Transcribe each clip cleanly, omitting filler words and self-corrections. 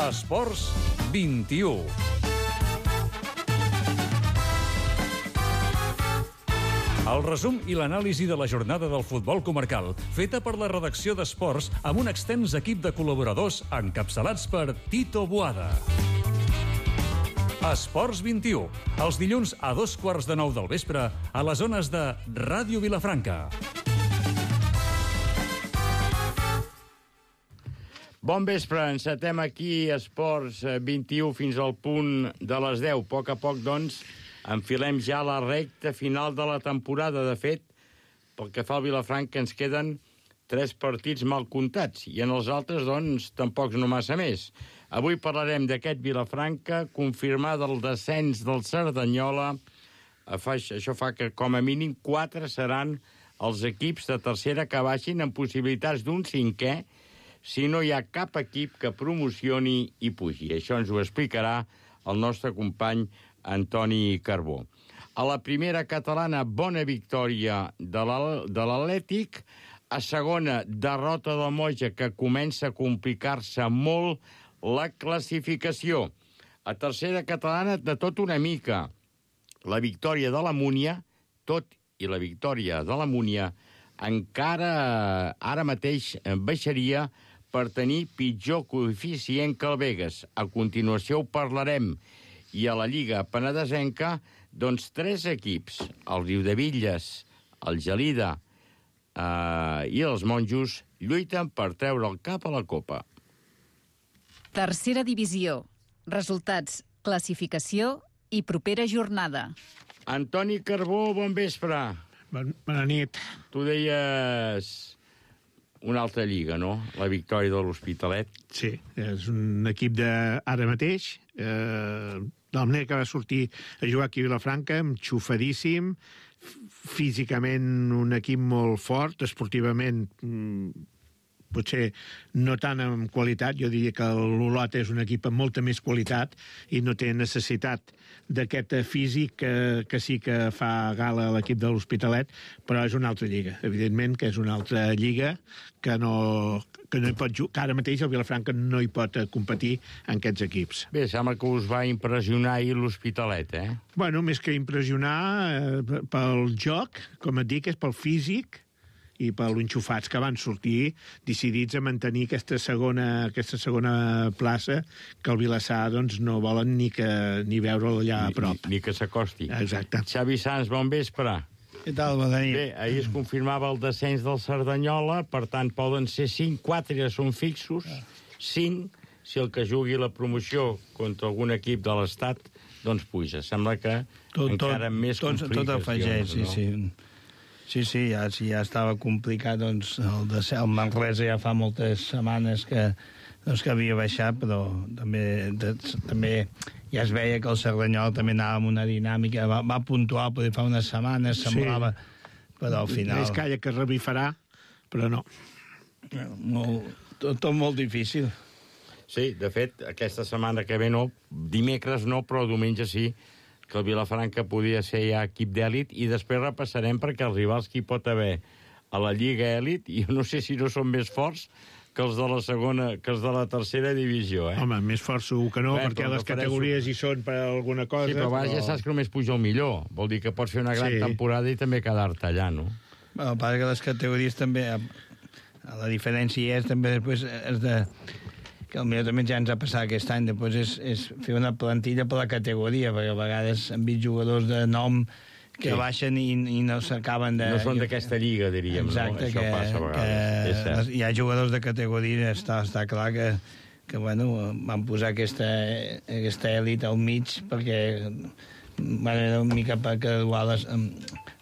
Esports 21. El resum i l'anàlisi de la jornada del futbol comarcal, feta per la redacció d'Esports amb un extens equip de col·laboradors encapçalats per Tito Boada. Esports 21, els dilluns a 8:15 del vespre a les zones de Ràdio Vilafranca. Bon vespre, encetem aquí Esports 21 fins al punt de les 10. A poc, doncs, enfilem ja la recta final de la temporada. De fet, pel que fa al Vilafranca ens queden 3 partits mal comptats i en els altres, doncs, tampoc no massa més. Avui parlarem d'aquest Vilafranca, confirmar el descens del Cerdanyola. Això fa que, com a mínim, 4 seran els equips de tercera que baixin amb possibilitats d'un 5è si no hi ha cap equip que promocioni i pugi. Això ens ho explicarà el nostre company Antoni Carbó. A la primera catalana, bona victòria de l'Atlètic. A segona, derrota del Moja, que comença a complicar-se molt la classificació. A tercera catalana, de tot una mica. La victòria de la Múnia, tot i la victòria de la Múnia, encara ara mateix baixaria per tenir pitjor coeficient que el Begues. A continuació ho parlarem. I a la Lliga Penedesenca, doncs 3 equips, el Riudebitlles, el Gelida i els Monjos, lluiten per treure el cap a la Copa. Tercera divisió. Resultats, classificació i propera jornada. Antoni Carbó, bon vespre. Bona nit. Tu deies una altra lliga, no? La victòria de l'Hospitalet. Sí, és un equip d'ara mateix, de la manera que va sortir a jugar aquí a Vilafranca, enxufadíssim, físicament un equip molt fort, esportivament potser no tant en qualitat. Jo diria que l'Olot és un equip amb molta més qualitat i no té necessitat d'aquest físic que sí que fa gala a l'equip de l'Hospitalet, però és una altra lliga. Evidentment que és una altra lliga que no hi pot jugar. Ara mateix el Vilafranca no hi pot competir en aquests equips. Bé, sembla que us va impressionar ahir l'Hospitalet, eh? Bueno, més que impressionar pel joc, com et dic, és pel físic i per l'enxufats que van sortir decidits a mantenir aquesta segona plaça, que el Vilassar doncs, no volen ni veure'l allà a prop. Ni que s'acosti. Exacte. Xavi Sanz, bon vespre. Què tal, bona nit? Bé, ahir es confirmava el descens del Cerdanyola, per tant poden ser 5, 4 ja són fixos, 5 si el que jugui la promoció contra algun equip de l'Estat doncs puja. Sembla que encara més complicacions. Tot afegeix, no? Sí, ja estava complicat, doncs el Manresa ja fa moltes setmanes que havia baixat, però també ja es veia que el Cerdanyola també anava amb una dinàmica, va puntuar, potser fa unes setmanes, semblava, però al final... Més calla que revifarà, però no. Tot molt difícil. Sí, de fet, aquesta setmana que ve no, dimecres no, però diumenge sí, que el Vilafranca podia ser ja equip d'èlit, i després repassarem perquè els rivals que hi pot haver a la Lliga Èlit, i no sé si no són més forts que els de la segona, que els de la tercera divisió, eh? Home, més fort segur que no, perquè les categories hi són per alguna cosa. Sí, però ja saps que només puja el millor. Vol dir que pots fer una gran temporada i també quedar-te allà, no? Bueno, el pas que les categories també... La diferència és també després que potser també ja ens ha passat aquest any, després és fer una plantilla per la categoria, perquè a vegades hem vist jugadors de nom que baixen i no s'acaben de... No són d'aquesta lliga, diríem, exacte, no? Això passa a vegades. Hi ha jugadors de categoria, està clar que bueno, van posar aquesta èlit al mig perquè era una mica per graduar-les.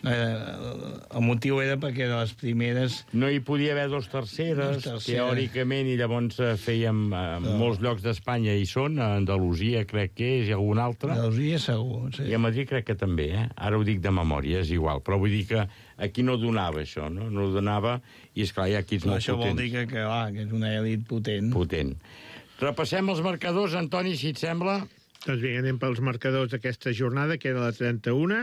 El motiu era perquè de les primeres... No hi podia haver dos terceres, teòricament, i llavors fèiem molts llocs d'Espanya hi són, a Andalusia crec que és, i algun altre. Andalusia segur, sí. I a Madrid crec que també, Ara ho dic de memòria, és igual, però vull dir que aquí no donava això, no? No donava, i esclar, hi ha equips molt potents. Això vol dir que és una elit potent. Potent. Repassem els marcadors, Antoni, si et sembla. Doncs bé, anem pels marcadors d'aquesta jornada, que era la 31.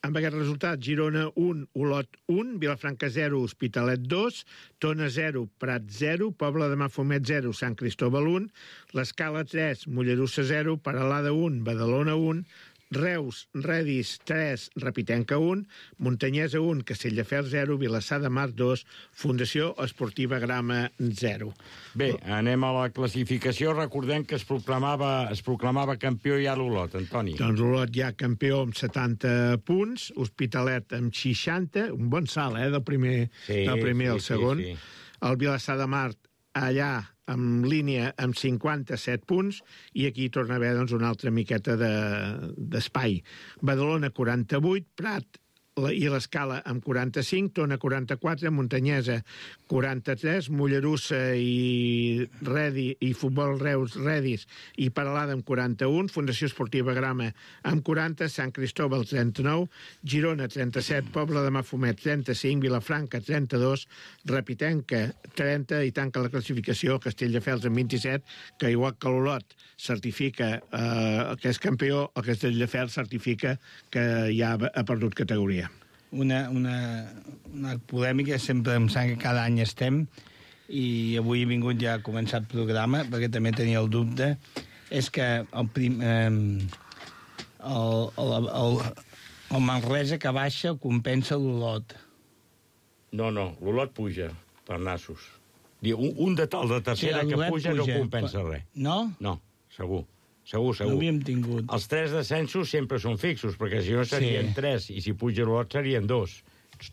amb aquest resultat, Girona 1, Olot 1, Vilafranca 0, Hospitalet 2, Tona 0, Prat 0, Pobla de Mafumet 0, Sant Cristóbal 1, l'Escala 3, Mollerussa 0, Peralada 1, Badalona 1, Reus, Redis 3, Repitenca 1, Muntanyesa 1, Castelldefels 0, Vilassar de Mar 2, Fundació Esportiva Grama 0. Bé, anem a la classificació. Recordem que es proclamava campió ja l'Olot, Antoni. Doncs Olot ja campió amb 70 punts, Hospitalet amb 60, un bon salt, del primer al segon. Sí. El Vilassar de Mar allà en línia amb 57 punts, i aquí torna a haver una altra miqueta d'espai. Badalona 48, Prat i l'Escala amb 45, Tona 44, Muntanyesa 43, Mollerussa i Futbol Reus Redis i Peralada amb 41, Fundació Esportiva Grama amb 40, Sant Cristóbal 39, Girona 37, Pobla de Mafumet 35, Vilafranca 32, Repitenca 30, i tanca la classificació Castelldefels amb 27, que igual que l'Olot certifica que és campió, el Castelldefels certifica que ja ha perdut categoria. Una polèmica, sempre em sembla que cada any estem, i avui he vingut ja a començar el programa, perquè també tenia el dubte, és que el Manresa que baixa el compensa l'Olot. No, l'Olot puja per nassos. Un de tal de tercera que puja no compensa res. No? No, segur. No havíem tingut. Els 3 descensos sempre són fixos, perquè si no serien 3, i si puja l'Olot serien 2.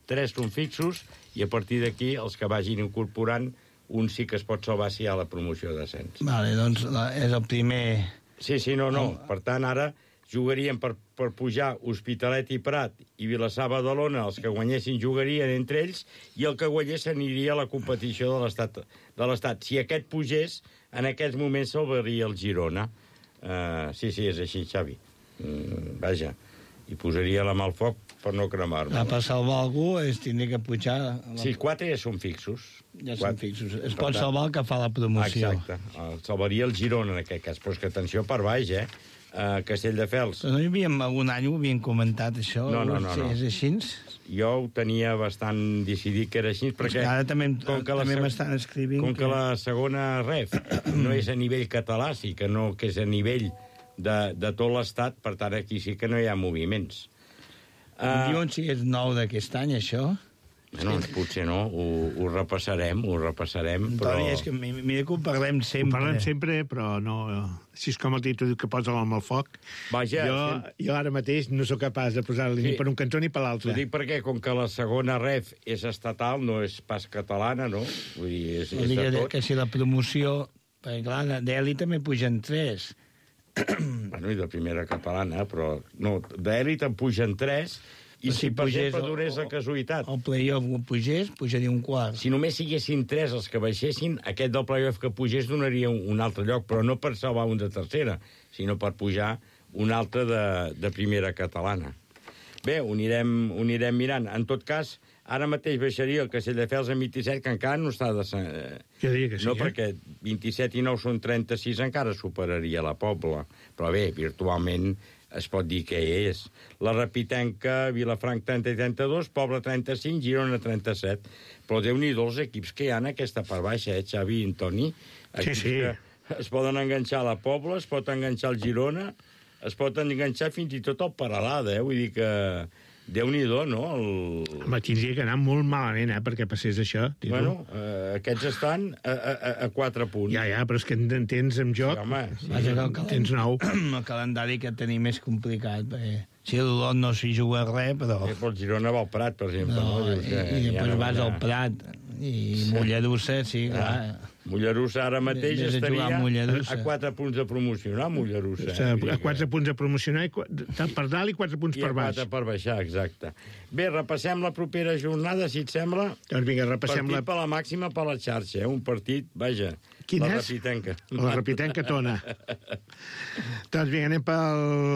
3 són fixos, i a partir d'aquí els que vagin incorporant, un sí que es pot salvar si hi ha la promoció de descens. Vale, doncs és el primer... Sí, no. Per tant, ara jugarien per pujar Hospitalet i Prat i Vilassar Badalona, els que guanyessin jugarien entre ells, i el que guanyés aniria a la competició de l'Estat. Si aquest pugés, en aquests moments salvaria el Girona. Sí, és així, Xavi. Vaja, i posaria la mà al foc per no cremar-me. Per salvar algú es tindria que pujar... Sí, 4 ja són fixos. Ja són fixos. Es pot salvar el que fa la promoció. Exacte. Salvaria el Girona, en aquest cas. Però és que atenció per baix, Castelldefels. No hi havia, algun any ho havien comentat, això? No. És així? Jo ho tenia bastant decidit que era així, perquè... Ara també m'estan escrivint... Com que la segona ref no és a nivell català, sí que és a nivell de tot l'Estat, per tant, aquí sí que no hi ha moviments. Diuen si és nou d'aquest any, això? Bueno, potser no, ho repassarem, però... És que mira que ho parlem sempre. Ho parlem sempre, però no... Si és com el títol diu que posa l'home al foc, vaja, jo ara mateix no sóc capaç de posar-li ni per un cantó ni per l'altre. Ho dic perquè, com que la segona ref és estatal, no és pas catalana, no? Vull dir, és de tot. Que si la promoció... Perquè, clar, d'Eli també pugen 3. Bueno, i de primera catalana, però... No, d'Elit en pugen 3... I si per exemple donés la casualitat... El playoff pujaria un quart. Si només siguessin 3 els que baixessin, aquest del playoff que pugés donaria un altre lloc, però no per salvar un de tercera, sinó per pujar un altre de primera catalana. Bé, ho anirem mirant. En tot cas, ara mateix baixaria el Castelldefels en 27, que encara no està de... Jo diria que sí, no, perquè 27 i 9 són 36, encara superaria la Pobla. Però bé, virtualment... es pot dir que és. La Repitenca, Vilafranc 30 i 32, Pobla 35, Girona 37. Però Déu-n'hi-do els equips que hi ha en aquesta part baixa, Xavi i Antoni? Sí. Es poden enganxar a la Pobla, es pot enganxar al Girona, es pot enganxar fins i tot al Peralada, Vull dir que... Déu-n'hi-do, no? Home, tindria que anar molt malament, perquè passés això. Bueno, aquests estan a 4 punts. Ja, però és que en tens amb joc. Sí, home, sí. Tens 9. El calendari que tenim és complicat, perquè si l'Olot no s'hi juga res, però... El Girona va al Prat, per exemple. I després vas al Prat, i Mollerussa, sí, clar... Mollerussa ara mateix estaria a 4 punts de promocionar, Mollerussa. A 4 punts de promocionar, per dalt i 4 punts per baix. I 4 per baixar, exacte. Bé, repassem la propera jornada, si et sembla. Doncs vinga, repassem partit per la màxima per la xarxa, Un partit, vaja, la Repitenca. La Repitenca Tona. Doncs vinga, anem per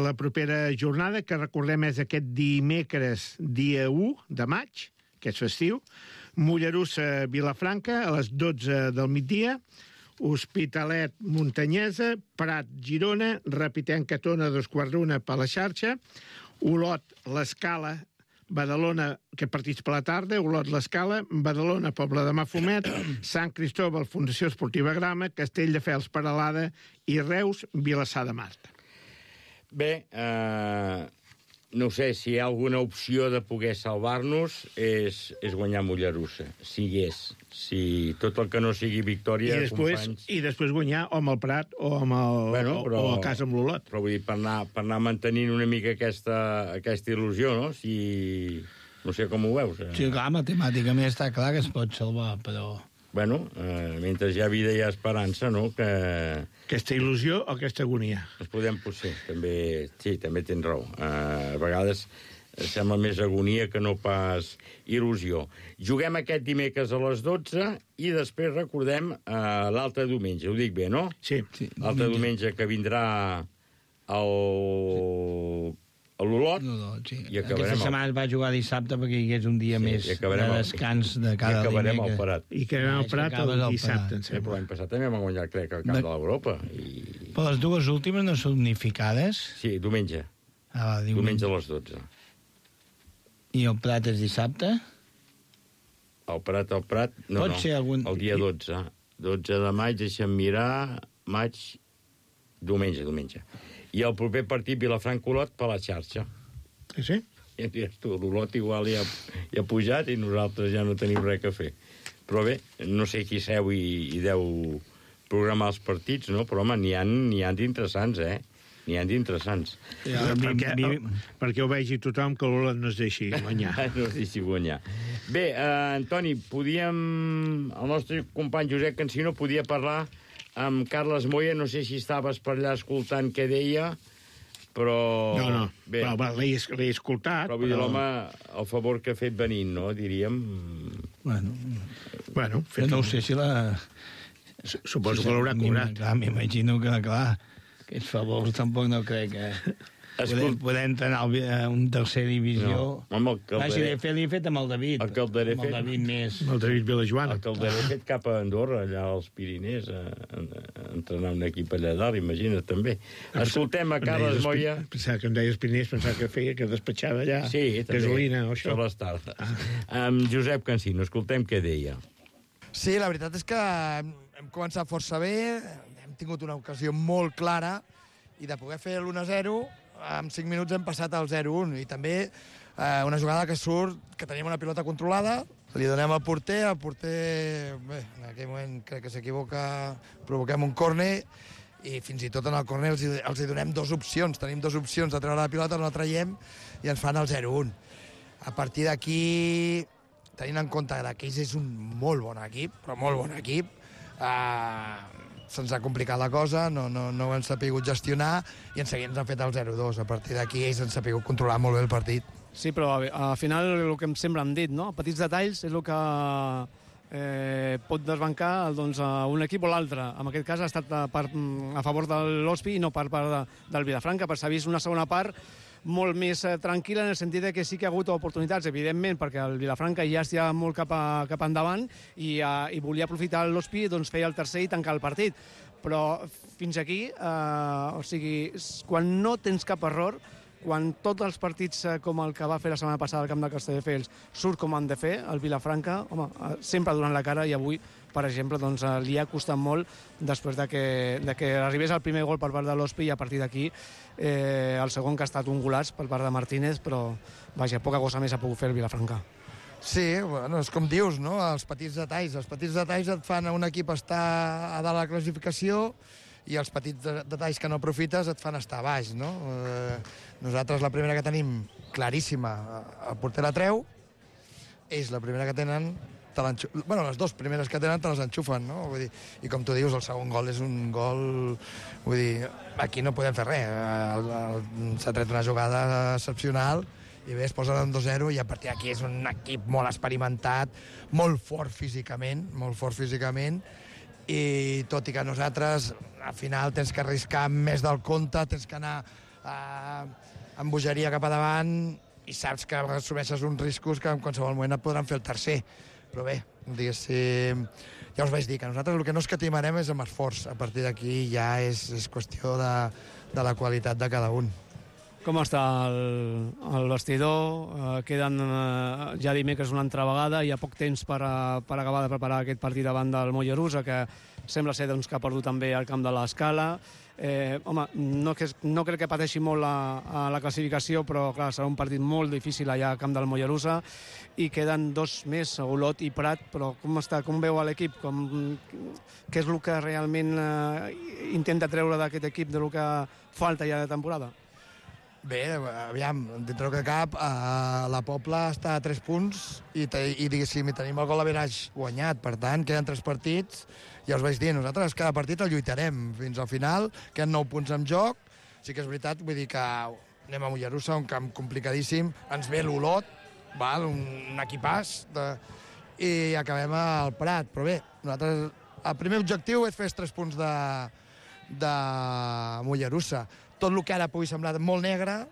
la propera jornada, que recordem és aquest dimecres, dia 1 de maig, que és festiu. Mollerussa, Vilafranca, a les 12 del migdia, Hospitalet, Muntanyesa, Prat, Girona, Repitenca, Tona, 2:15 per la xarxa, Olot, l'Escala, Badalona, que partits per la tarda, Olot, l'Escala, Badalona, Pobla de Mafumet, Sant Cristòbal, Fundació Esportiva Grama, Castelldefels, Peralada i Reus, Vilassar de Mar. Bé, no sé, si hi ha alguna opció de poder salvar-nos és guanyar Mollerussa, si hi és. Si tot el que no sigui victòria, companys... I després guanyar o amb el Prat o amb el, o a casa amb l'Olot. Però vull dir, per anar mantenint una mica aquesta il·lusió, no? Si... No sé com ho veus. Sí, clar, matemàticament està clar que es pot salvar, però... Bueno, mentre hi ha vida hi ha esperança, no? Que... Aquesta il·lusió o aquesta agonia? Ens podem potser, també... Sí, també tens raó. A vegades sembla més agonia que no pas il·lusió. Juguem aquest dimecres a les 12 i després recordem l'altre diumenge. Ho dic bé, no? Sí. L'altre diumenge que vindrà l'Olot. Sí. I acabarem aquesta setmana es va jugar dissabte perquè hi hagués un dia més de descans de cada dimecres. I acabarem al Prat. I acabarem al Prat el dissabte, em sembla. Però l'any passat també vam guanyar, crec, el Camp de l'Europa. Però les dues últimes no són unificades? Sí, diumenge. Diumenge a les 12. I el Prat és dissabte? El Prat, no, Pot ser algun... el dia 12. 12 de maig, deixa'm mirar, diumenge. I el proper partit Vilafranca-Olot per la xarxa. Sí? Ja diràs tu, l'Olot igual ja ha pujat i nosaltres ja no tenim res a fer. Però bé, no sé qui seu i deu programar els partits, no? Però, home, n'hi ha d'interessants, N'hi ha d'interessants. Perquè ho vegi tothom que l'Olot no es deixi guanyar. No es deixi guanyar. Bé, Antoni, el nostre company Josep Cansino podia parlar amb Carles Moya, no sé si estaves per allà escoltant què deia, però... No, bé, però l'he escoltat. Però vull dir, l'home, el favor que ha fet venint, no?, diríem. Bueno, no ho sé si la... Suposo que l'haurà cobrat. Clar, m'imagino que, clar, aquests favors tampoc no crec que... Podem entrenar a un tercer divisió. No, home, el Calderer... Si l'he fet amb el David. El Calderer amb el David més... Amb el David Vilajoana. El Calderer fet cap a Andorra, allà als Pirinès, a entrenar un equip allà dalt, imagina't, també. Escoltem a Carles Moya... Pensava que em deies Pirinès, pensava que feia, que despatxava allà gasolina o això. Sí, les tardes. Amb Josep Cansino, escoltem què deia. Sí, la veritat és que hem començat força bé, hem tingut una ocasió molt clara i de poder fer l'1-0, en 5 minuts hem passat al 0-1 i també una jugada que surt, que tenim una pilota controlada, li donem al porter, bé, en aquell moment crec que s'equivoca, provoquem un córner i fins i tot en el córner els hi donem dues opcions, tenim dues opcions de treure la pilota, no la traiem i ens fan el 0-1. A partir d'aquí, tenint en compte que ells és un molt bon equip, però molt bon equip, se'ns ha complicat la cosa, no ho hem sapigut gestionar i en seguida ens han fet el 0-2. A partir d'aquí ells han sapigut controlar molt bé el partit. Sí, però al final el que sempre hem dit, no? Petits detalls és el que pot desbancar doncs, un equip o l'altre. En aquest cas ha estat a favor de l'Hospi i no per part del Vilafranca, però s'ha vist una segona part molt més tranquil·la en el sentit que sí que ha hagut oportunitats, evidentment, perquè el Vilafranca ja estia molt cap endavant i volia aprofitar l'Hospi, doncs feia el tercer i tancar el partit. Però fins aquí, o sigui, quan no tens cap error, quan tots els partits com el que va fer la setmana passada al camp de Castelldefels surt com han de fer, el Vilafranca, home, sempre donant la cara i avui, per exemple, doncs, li ha costat molt després de que arribés el primer gol per part de l'Hospi i a partir d'aquí el segon que ha estat un golaç per part de Martínez, però vaja, poca cosa més ha pogut fer el Vilafranca. Sí, bueno, és com dius, no? Els petits detalls et fan a un equip estar a dalt de la classificació i els petits detalls que no aprofites et fan estar a baix, no? Nosaltres la primera que tenim claríssima, el porter la treu, ells la primera que tenen, bueno, les dues primeres que tenen te les enxufen, no? Vull dir, i com tu dius, el segon gol és un gol... Vull dir, aquí no podem fer res. S'ha tret una jugada excepcional i bé, es posen en 2-0 i a partir d'aquí és un equip molt experimentat, molt fort físicament, i tot i que nosaltres al final tens que arriscar més del compte, tens que anar amb bogeria cap a davant i saps que assumeixes uns riscos que en qualsevol moment et podran fer el tercer. Però bé, diguéssim, ja us vaig dir que nosaltres el que no escatimarem és amb esforç. A partir d'aquí ja és qüestió de la qualitat de cada un. com està el vestidor. Queden ja dimecres una altra vegada, hi ha poc temps per acabar de preparar aquest partit davant del Mollerussa, que sembla ser doncs, que ha perdut també el camp de l'Escala. Home, no crec que pateixi molt la classificació, però clar, serà un partit molt difícil allà al camp del Mollerussa, i queden 2 més, Olot i Prat. Però com veu l'equip? Què és el que realment intenta treure d'aquest equip, del que falta ja de temporada? Bé, aviam, dintre que cap, la Pobla està a 3 punts i diguéssim, tenim el gol average guanyat. Per tant, queden 3 partits. Ja us vaig dir, nosaltres cada partit el lluitarem fins al final, queden 9 punts en joc. Sí que és veritat, vull dir que anem a Mollerussa, un camp complicadíssim, ens ve l'Olot, un equipàs, i acabem al Prat. Però bé, nosaltres, el primer objectiu és fer els 3 punts de Mollerussa. Tot el que ara pugui semblar molt negre,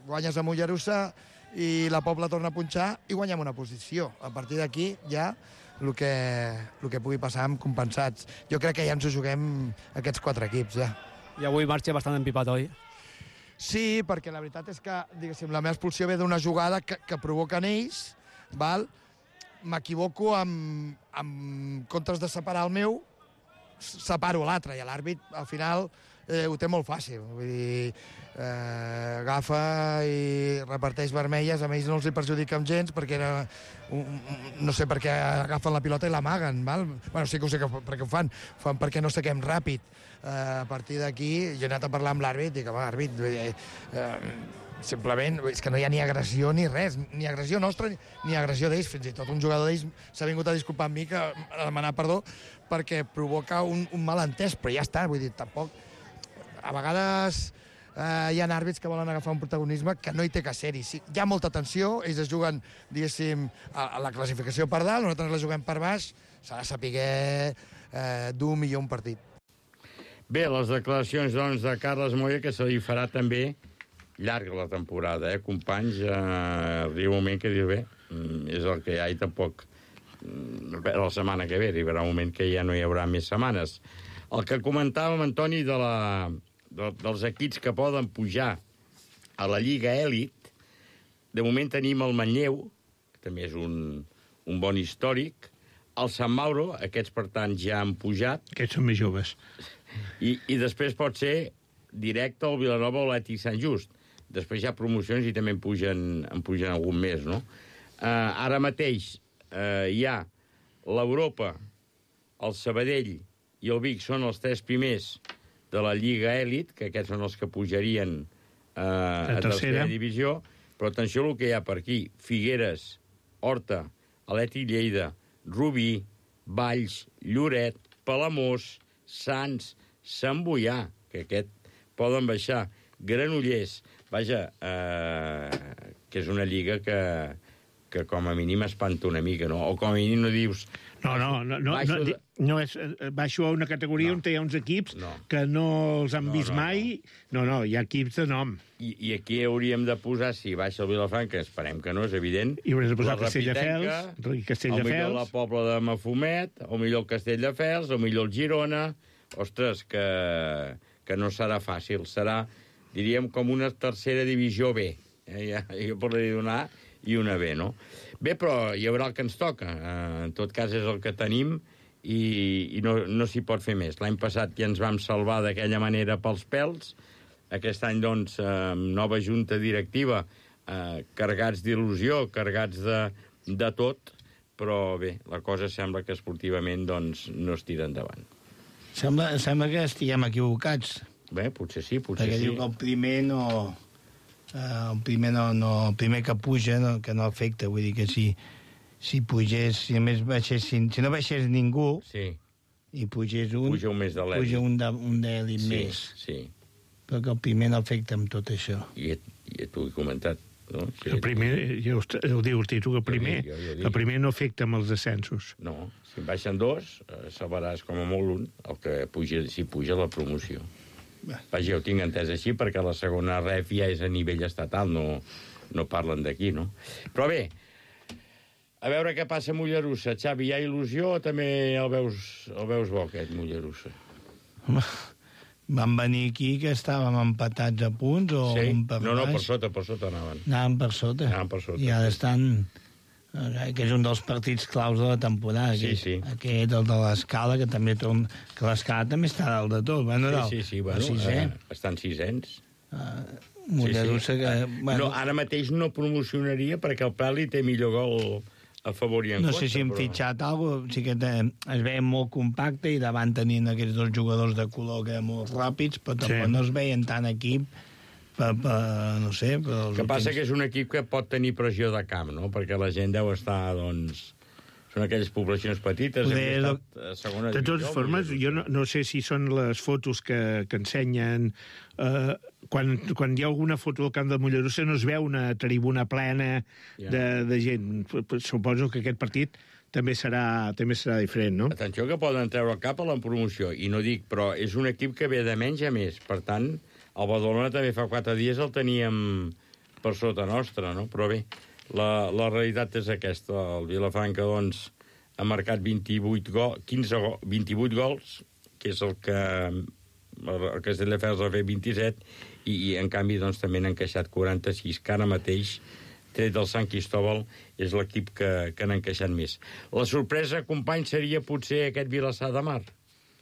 guanyes a Mollerussa i la Pobla torna a punxar i guanyem una posició. A partir d'aquí ja el que pugui passar amb compensats. Jo crec que ja ens ho juguem aquests 4 equips, ja. I avui marxa bastant empipat, oi? Sí, perquè la veritat és que, diguéssim, la meva expulsió ve d'una jugada que provoquen ells, val? M'equivoco en comptes de separar el meu, separo l'altre, i l'àrbit, al final, ho té molt fàcil. Vull dir, agafa i reparteix vermelles, a ells no els hi perjudica gens, perquè no sé per què agafen la pilota i l'amaguen, val? Bueno, sí que ho sé per què ho fan perquè no saquem ràpid. A partir d'aquí, jo he anat a parlar amb l'àrbit i dic, home, àrbit, simplement és que no hi ha ni agressió ni res, ni agressió nostra ni agressió d'ells. Fins i tot un jugador d'ells s'ha vingut a disculpar amb mi, a demanar perdó, perquè provoca un malentès, però ja està, vull dir, tampoc... A vegades hi ha àrbits que volen agafar un protagonisme que no hi té que ser-hi. Sí, hi ha molta tensió, ells es juguen, diguéssim, a la classificació per dalt, nosaltres la juguem per baix, s'ha de saber dur millor un partit. Bé, les declaracions, doncs, de Carles Moya, que se li farà també llarga la temporada, companys? Arriba un moment que diu, bé, és el que hi ha i tampoc la setmana que ve, arribarà un moment que ja no hi haurà més setmanes. El que comentàvem, Antoni, dels equips que poden pujar a la Lliga Èlit, de moment tenim el Manlleu, que també és un bon històric, el Sant Mauro, aquests, per tant, ja han pujat. Aquests són més joves. I després pot ser directe al Vilanova o l'Atlètic Sant Just. Després hi ha promocions i també en pugen algun més, no? Ara mateix hi ha l'Europa, el Sabadell i el Vic són els 3 primers de la Lliga Èlit, que aquests són els que pujarien a tercera divisió, però atenció al que hi ha per aquí. Figueres, Horta, Atlètic Lleida, Rubí, Valls, Lloret, Palamós, Sants, Sant Boià, que aquest poden baixar, Granollers, vaja, que és una lliga que com a mínim espanta una mica, no? O com a mínim no dius... No és, baixo a una categoria on hi ha uns equips que no els han vist mai. No, hi ha equips de nom. I aquí hauríem de posar, si baixa el Vilafranca, esperem que no, és evident. I haurem de posar Castelldefels, o millor la Pobla de Mafumet, o millor el Castelldefels, o millor el Girona. Ostres, que no serà fàcil. Serà, diríem, com una tercera divisió B. Jo podria dir una A i una B, no? Bé, però hi haurà el que ens toca. En tot cas, és el que tenim i no s'hi pot fer més. L'any passat ja ens vam salvar d'aquella manera pels pèls. Aquest any, doncs, nova junta directiva, carregats d'il·lusió, carregats de tot, però bé, la cosa sembla que esportivament doncs, no es tira endavant. Sembla que estiguem equivocats. Bé, potser sí, potser perquè sí. Perquè diu que el primer que puja que no afecta, vull dir que si pugés, si només baixessin, si no baixés ningú i pugés un, puja un més de l'èlit. Puja un d'èlit més. Sí. Però que el primer no afecta amb tot això. I tu ho he comentat, no? Sí, el primer, ja ho diu el títol, el primer no afecta amb els descensos. No, si en baixen 2, salvaràs com a molt un, el que puja, si puja la promoció. Vaja, ho tinc entès així, perquè la segona ref ja és a nivell estatal, no parlen d'aquí, no? Però bé, a veure què passa a Mollerussa. Xavi, hi ha il·lusió o també el veus bo, aquest Mollerussa? Home, Van venir aquí que estàvem empatats a punts o Sí? un per No, baix. per sota anaven. Anaven per sota. I ara estan... que és un dels partits claus de la temporada. Sí, sí. Aquest, el de l'Escala, que també torna... Que l'Escala també està dalt de tot. Bueno, Sí, bueno, estan sisens. Mollerussa que... Bueno, ara mateix no promocionaria perquè el Prat li té millor gol a favor i en No contra. sé si hem fitxat alguna cosa, sí que es veia molt compacte i davant tenint aquests dos jugadors de color que eren molt ràpids, però tampoc no es veien tant equip no sé... El que passa que és un equip que pot tenir pressió de camp, no? Perquè la gent deu estar, doncs... Són aquelles poblacions petites... De totes formes, jo no sé si són les fotos que ensenyen... Quan hi ha alguna foto del camp de Mollerussa no es veu una tribuna plena de gent. Suposo que aquest partit també serà diferent, no? Atenció que poden treure cap a la promoció, i no dic, però és un equip que ve de menys a més. Per tant, el Badalona també fa 4 dies el teníem per sota nostra, no? Però bé, la realitat és aquesta. El Vilafranca, doncs, ha marcat 28 gols, que és el que el Castelldefels ha fet 27, i en canvi doncs, també n'han encaixat 46, que ara mateix, tret del Sant Cristòbal, és l'equip que n'ha encaixat més. La sorpresa, company, seria potser aquest Vilassar de Mar.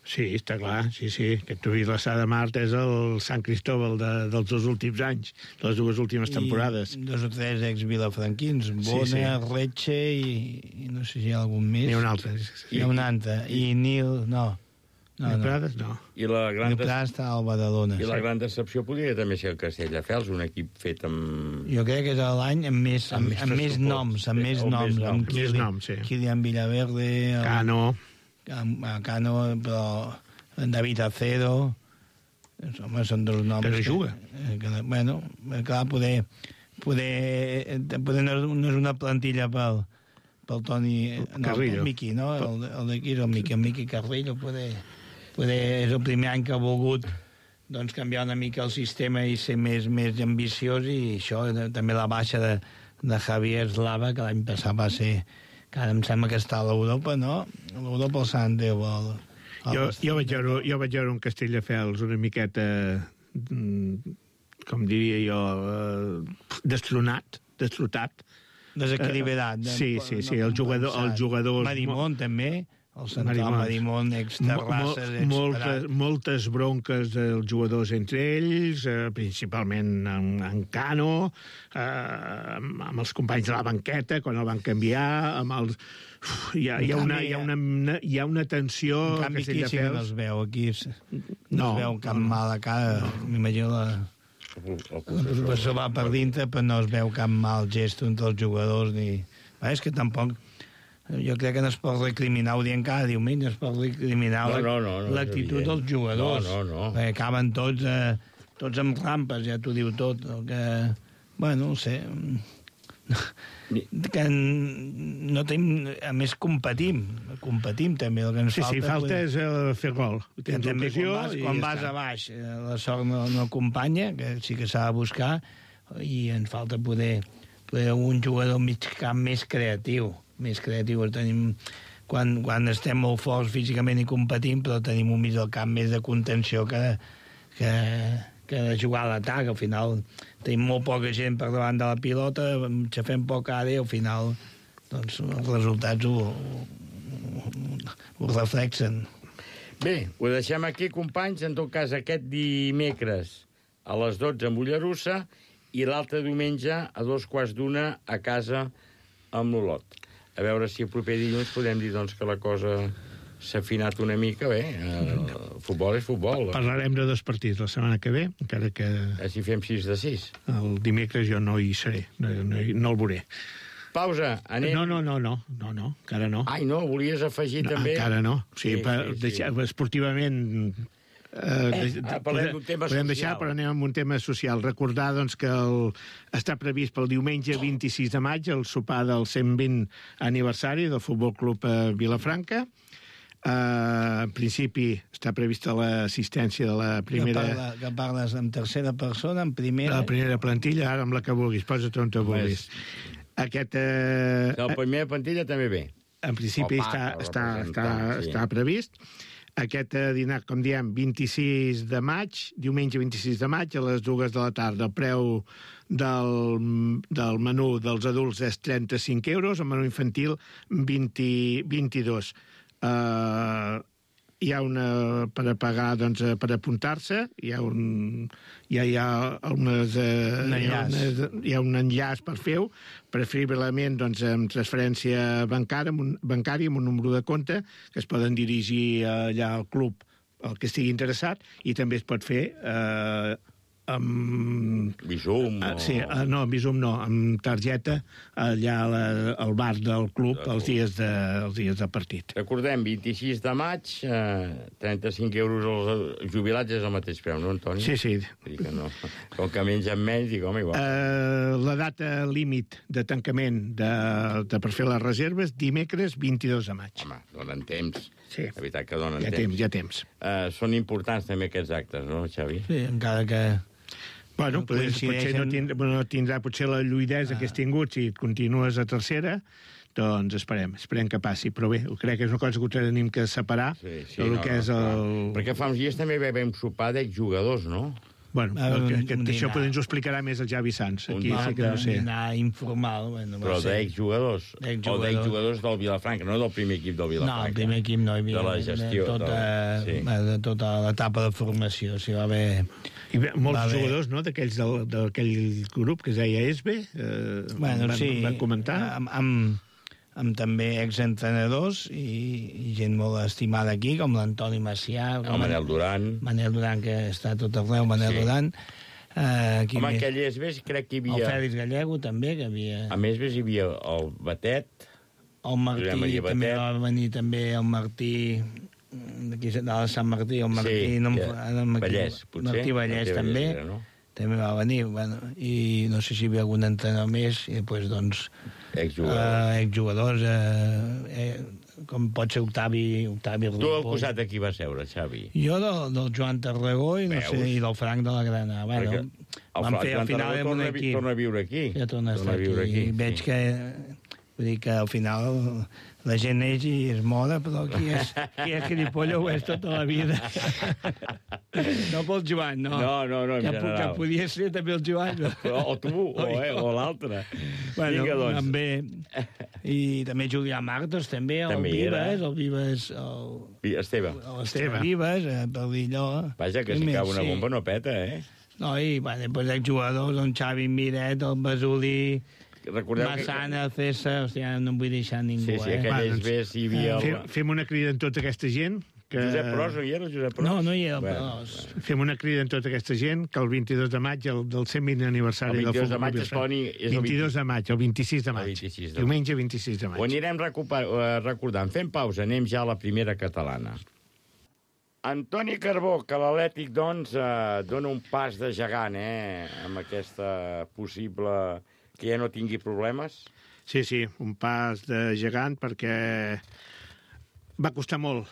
Sí, està clar, sí. Aquest Vilassar de Mar és el Sant Cristòbal dels 2 últims anys, de les 2 últimes temporades. I 2 o 3 ex-vilafranquins, Bona, Retxe i no sé si hi ha algun més. N'hi ha un altre. Hi ha un altre. I Nil, no. Prades, no. I la gran està al Badalona. I la gran decepció podria també ser el Castelldefels, un equip fet amb... Jo crec que és l'any amb més noms, amb Kilian Villaverde, Cano, però David Acero, home, són 2 noms... Però juga. Bueno, clar, poder no és una plantilla pel Toni... Carrillo. El Miqui, no? El d'aquí és el Miqui Carrillo, poder és el primer any que ha volgut doncs, canviar una mica el sistema i ser més ambiciós, i això, també la baixa de Javier Slava, que l'any passat va ser, que ara em sembla que està a l'Europa, no? L'Europa el Sant Déu. Jo vaig veure un Castelldefels una miqueta, com diria jo, destrotat. Desequilibrat. Sí, el jugador... Marimón, també. El central Marimón, ex-Terrasses, moltes bronques dels jugadors entre ells, principalment en Cano, amb els companys de la banqueta, quan el van canviar, amb els... Hi ha una tensió... En canvi, aquí sí que no es veu. Aquí no es veu cap mala cara. M'imagino el professor va per dintre, però no es veu cap mal gest entre els jugadors. És que tampoc... Jo crec que no es pot recriminar, ho diem cada diumenge, es pot recriminar l'actitud dels jugadors. Perquè acaben tots amb rampes, ja t'ho diu tot. Bueno, no sé... que no tenim... A més, competim també. El que ens falta és fer gol. També quan vas a baix, la sort no acompanya, que sí que s'ha de buscar, i ens falta poder un jugador mig camp més creatiu. Tenim, quan estem molt forts físicament i competim, però tenim un mig del camp més de contenció que de jugar a l'atac. Al final tenim molt poca gent per davant de la pilota, xafem poc ara i al final doncs, els resultats ho reflexen. Bé, ho deixem aquí, companys. En tot cas, aquest dimecres a les 12 a Mollerussa i l'altre diumenge a 2:15 a casa amb l'Olot. A veure si el proper dilluns podem dir doncs, que la cosa s'ha afinat una mica. Bé, el futbol és futbol. Parlarem de 2 partits la setmana que ve, encara que... Si fem 6 de 6. El dimecres jo no hi seré, no el veuré. Pausa, anem... No, encara no. Ai, no, volies afegir també... Encara no. Sí. Esportivament... parlem d'un tema podem social. Deixar, però anem amb un tema social. Recordar doncs, que està previst pel diumenge 26 de maig el sopar del 120 aniversari del Futbol Club Vilafranca. En principi està prevista l'assistència de la primera... Que parles en tercera persona, en primera... La primera plantilla, ara amb la que vulguis, posa't on te vulguis. La primera plantilla també ve. En principi està previst. Aquest dinar, com diem, 26 de maig, diumenge 26 de maig, a les 2 de la tarda. El preu del menú dels adults és 35 euros, el menú infantil 22. Hi ha una per a pagar, doncs, per apuntar-se, hi ha un enllaç per fer-ho, preferiblement doncs, amb transferència bancària, amb un número de compte, que es poden dirigir allà al club el que estigui interessat, i també es pot fer amb... Bizum? Sí, no, amb Bizum no, amb targeta allà al bar del club els dies de partit. Recordem, 26 de maig, 35 euros als jubilats és el mateix preu, no, Antoni? Sí. Dic que no. Com que mengen menys, dic, home, igual. La data límit de tancament per fer les reserves, dimecres 22 de maig. Home, donen temps. Sí. La veritat que donen temps. Hi ha temps. Són importants també aquests actes, no, Xavi? Sí, encara que... Bueno, potser no tindrà potser la lluïdesa que has tingut si et continues a tercera, doncs esperem que passi. Però bé, crec que és una cosa que ho tenim que separar del que és el... Perquè fa uns dies també vam sopar d'exjugadors, no? Bueno, això ens ho explicarà més el Javi Sanz. Aquí sí que no sé. Un dinar informal. Bueno, però d'exjugadors? O d'exjugadors del Vilafranca, no del primer equip del Vilafranca? No, el primer equip no hi havia. De la gestió. De tota l'etapa de formació. Si va haver... I molts jugadors, no?, d'aquell grup que es deia ESBE, van comentar. Amb també exentrenadors i gent molt estimada aquí, com l'Antoni Macià, el Manel Duran. Manel Duran, que està tot arreu, Manel Duran. Home, aquell ESBE crec que hi havia... El Fèlix Gallego, també, que havia... A més, hi havia el Batet. El Martí, també va venir també el Martí... d'aquí de Sant Martí, el Martí... Vallès, potser. Martí Vallès, també. També va venir, bueno, i no sé si hi havia algun entrenador més, i després, doncs... Exjugadors, com pot ser Octavi Ripoll. Tu al costat de qui vas seure, Xavi? Jo del Joan Tarragó i, no sé, i del Frank de la Grana. Bueno, vam fer al final amb un equip. Torna a viure aquí. Ja torna a estar aquí. Veig que... Vull dir que al final la gent neix i es moda, però qui és gilipollo ho és tota la vida. No pel Joan, no. No, en general. Que podia ser també el Joan. O tu, o l'altre. Bueno, vinga, doncs. També. I també Julià Martos, també, el Vives, Esteve Vives, per dir allò. Vaja, que si cau una bomba no peta, eh? No, i després exjugadors, el Xavi Miret, el Basulí... Massana, César, hòstia, no em vull deixar ningú, Sí, aquelles ves hi havia... Fem una crida en tota aquesta gent... Josep Pros, no hi era el Josep Pros? No hi era el Pros. Fem una crida en tota aquesta gent que el 22 de maig, del 120 aniversari del futbol... El 22 de maig és el 22 de maig, el 26 de maig. Diumenge 26 de maig. Ho anirem recordant. Fem pausa, anem ja a la primera catalana. Antoni Carbó, que l'Atlètic, doncs, dona un pas de gegant, amb aquesta possible... que ja no tingui problemes? Sí, un pas de gegant perquè va costar molt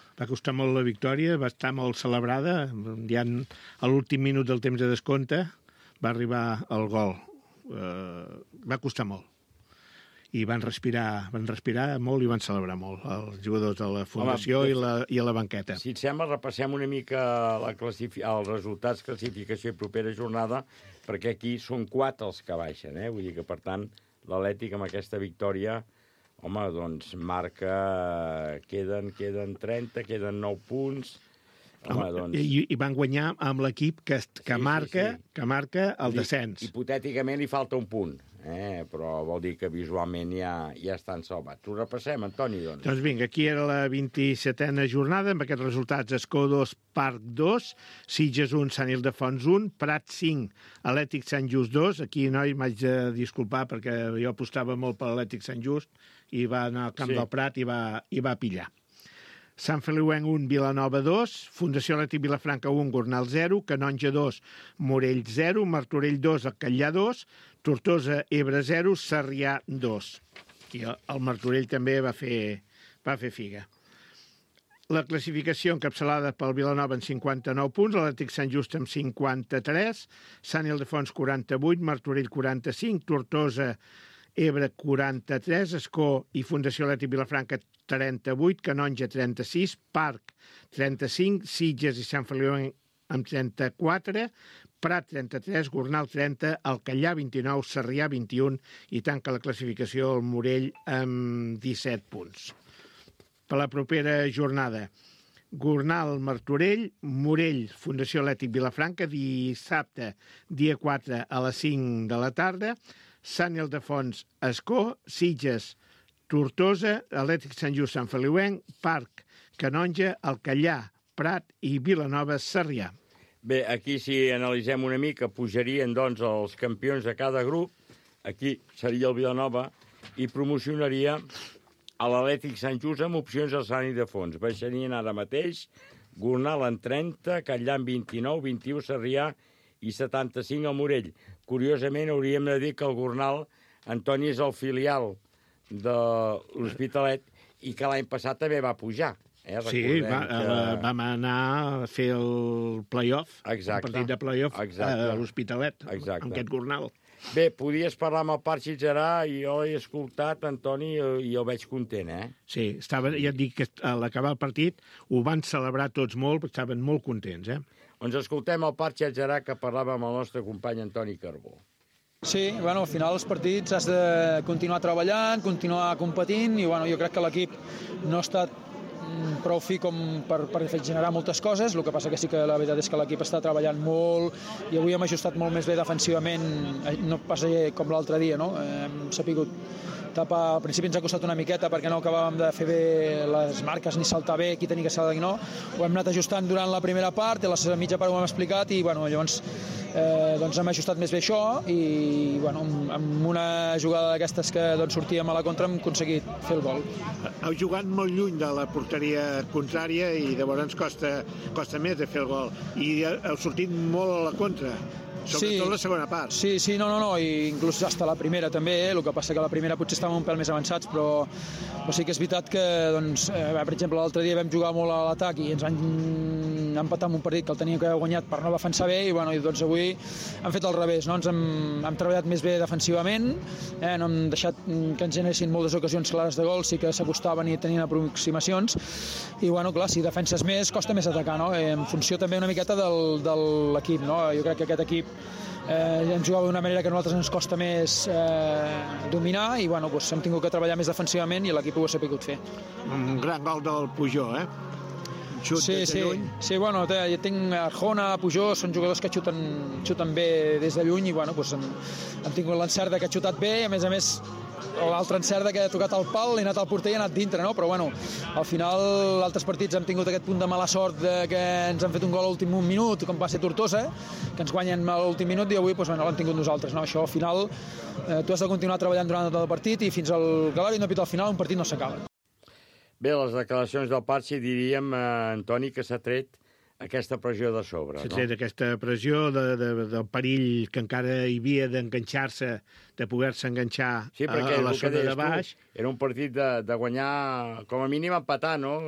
la victòria, va estar molt celebrada, ja a l'últim minut del temps de descompte va arribar el gol. Va costar molt. I van respirar molt i van celebrar molt els jugadors de la fundació i a la banqueta. Si et sembla, repassem una mica els resultats, classificació i propera jornada, perquè aquí són 4 els que baixen, Vull dir que, per tant, l'Atlètic amb aquesta victòria, home, doncs marca... Queden 30, queden 9 punts... Home, doncs... I van guanyar amb l'equip que marca el descens. Hipotèticament li falta un punt, però vol dir que visualment ja estan salvats. Ho repassem, Antoni, doncs. Doncs vinga, aquí era la 27a jornada, amb aquests resultats: Escó 2, Parc 2, Sitges 1, Sant Ildefons 1, Prat 5, Atlètic Sant Just 2. Aquí, noi, m'haig de disculpar perquè jo apostava molt per l'Atlètic Sant Just i va anar al camp del Prat i va pillar. Sant Feliuenc 1, Vilanova 2, Fundació Atlètic Vilafranca 1, Gornal 0, Canonja 2, Morell 0, Martorell 2, el Catllà 2, Tortosa, Ebre 0, Sarrià 2. Aquí el Martorell també va fer figa. La classificació encapçalada pel Vilanova en 59 punts, l'Atlètic Sant Just amb 53, Sant Ildefons 48, Martorell 45, Tortosa Ebre 43, Escó i Fundació Atlètic Vilafranca 38, Canonja 36, Parc 35, Sitges i Sant Feliu amb 34, Prat 33, Gornal 30, Alcallà 29, Sarrià 21 i tanca la classificació el Morell amb 17 punts. Per la propera jornada, Gornal, Martorell, Morell, Fundació Atlètic Vilafranca, dissabte, dia 4 a les 5 de la tarda, Sant Ildefons, Escó, Sitges, Tortosa, Atlètic Sant Just, Sant Feliuenc, Parc, Canonja, Alcallà, Prat i Vilanova, Sarrià. Bé, aquí si analitzem una mica, pujarien doncs els campions de cada grup, aquí seria el Vilanova, i promocionaria a l'Atlètic Sant Just amb opcions al Sant Ildefons. Baixarien ara mateix Gornal en 30, Catllà en 29, 21 Sarrià i 75 al Morell. Curiosament, hauríem de dir que el Gornal, Antoni, és el filial de l'Hospitalet i que l'any passat també va pujar. Sí, vam anar a fer el play-off, el partit de play-off a l'Hospitalet, amb aquest Gornal. Bé, podies parlar amb el Parc Sitgerà i jo l'he escoltat, Antoni, i el veig content, eh? Sí, ja et dic que a l'acabar el partit ho van celebrar tots molt, perquè estaven molt contents, eh? Doncs escoltem el Parc Sitgerà que parlava amb el nostre company Antoni Carbó. Sí, bueno, al final els partits has de continuar treballant, continuar competint i bueno, jo crec que l'equip no ha estat prou fi com per generar moltes coses, el que passa que sí que la veritat és que l'equip està treballant molt i avui hem ajustat molt més bé defensivament, no passa com l'altre dia, no? Hem sapigut tapar, al principi ens ha costat una miqueta perquè no acabàvem de fer bé les marques ni saltar bé, qui tenia que saltar i no, ho hem anat ajustant durant la primera part i a la mitja part ho hem explicat i bueno, llavors doncs hem ajustat més bé això i bueno, amb una jugada d'aquestes que doncs, sortíem a la contra hem aconseguit fer el gol. Heu jugat molt lluny de la porteria contrària i llavors costa més de fer el gol i heu sortit molt a la contra. Sobretot la segona part. Sí, no, i inclús hasta la primera també, el que passa que la primera potser estàvem un pèl més avançats, però sí que és veritat que, doncs, per exemple, l'altre dia vam jugar molt a l'atac i ens van empatar amb un partit que el teníem que haver guanyat per no defensar bé i, bueno, doncs avui hem fet al revés, no? Ens hem treballat més bé defensivament, no hem deixat que ens generessin moltes ocasions clares de gol, sí que s'acostaven i tenien aproximacions i, bueno, clar, si defenses més, costa més atacar, no? En funció també una miqueta de l'equip, no? Jo crec que aquest equip hem jugat d'una manera que a nosaltres ens costa més dominar i bueno, doncs hem tingut que treballar més defensivament i l'equip ho ha sapigut fer. Un gran gol del Pujol, Sí, bueno, jo tinc Arjona, Pujol, són jugadors que xuten bé des de lluny i bueno, doncs hem tingut l'encert que ha xutat bé i a més l'altre encert que ha tocat el pal, l'ha anat al porter i ha anat dintre, no? Però bueno, al final altres partits hem tingut aquest punt de mala sort que ens han fet un gol a l'últim minut, com va ser Tortosa, que ens guanyen a l'últim minut i avui doncs, bueno, l'hem tingut nosaltres, no? Això al final tu has de continuar treballant durant tot el partit i fins al Galari no pita al final un partit no s'acaba. Bé, les declaracions del Parc, diríem, Antoni, que s'ha tret aquesta pressió de sobre, no? S'ha tret aquesta pressió del perill que encara hi havia d'enganxar-se, de poder-se enganxar a la zona de baix. Era un partit de guanyar, com a mínim, empatar, no?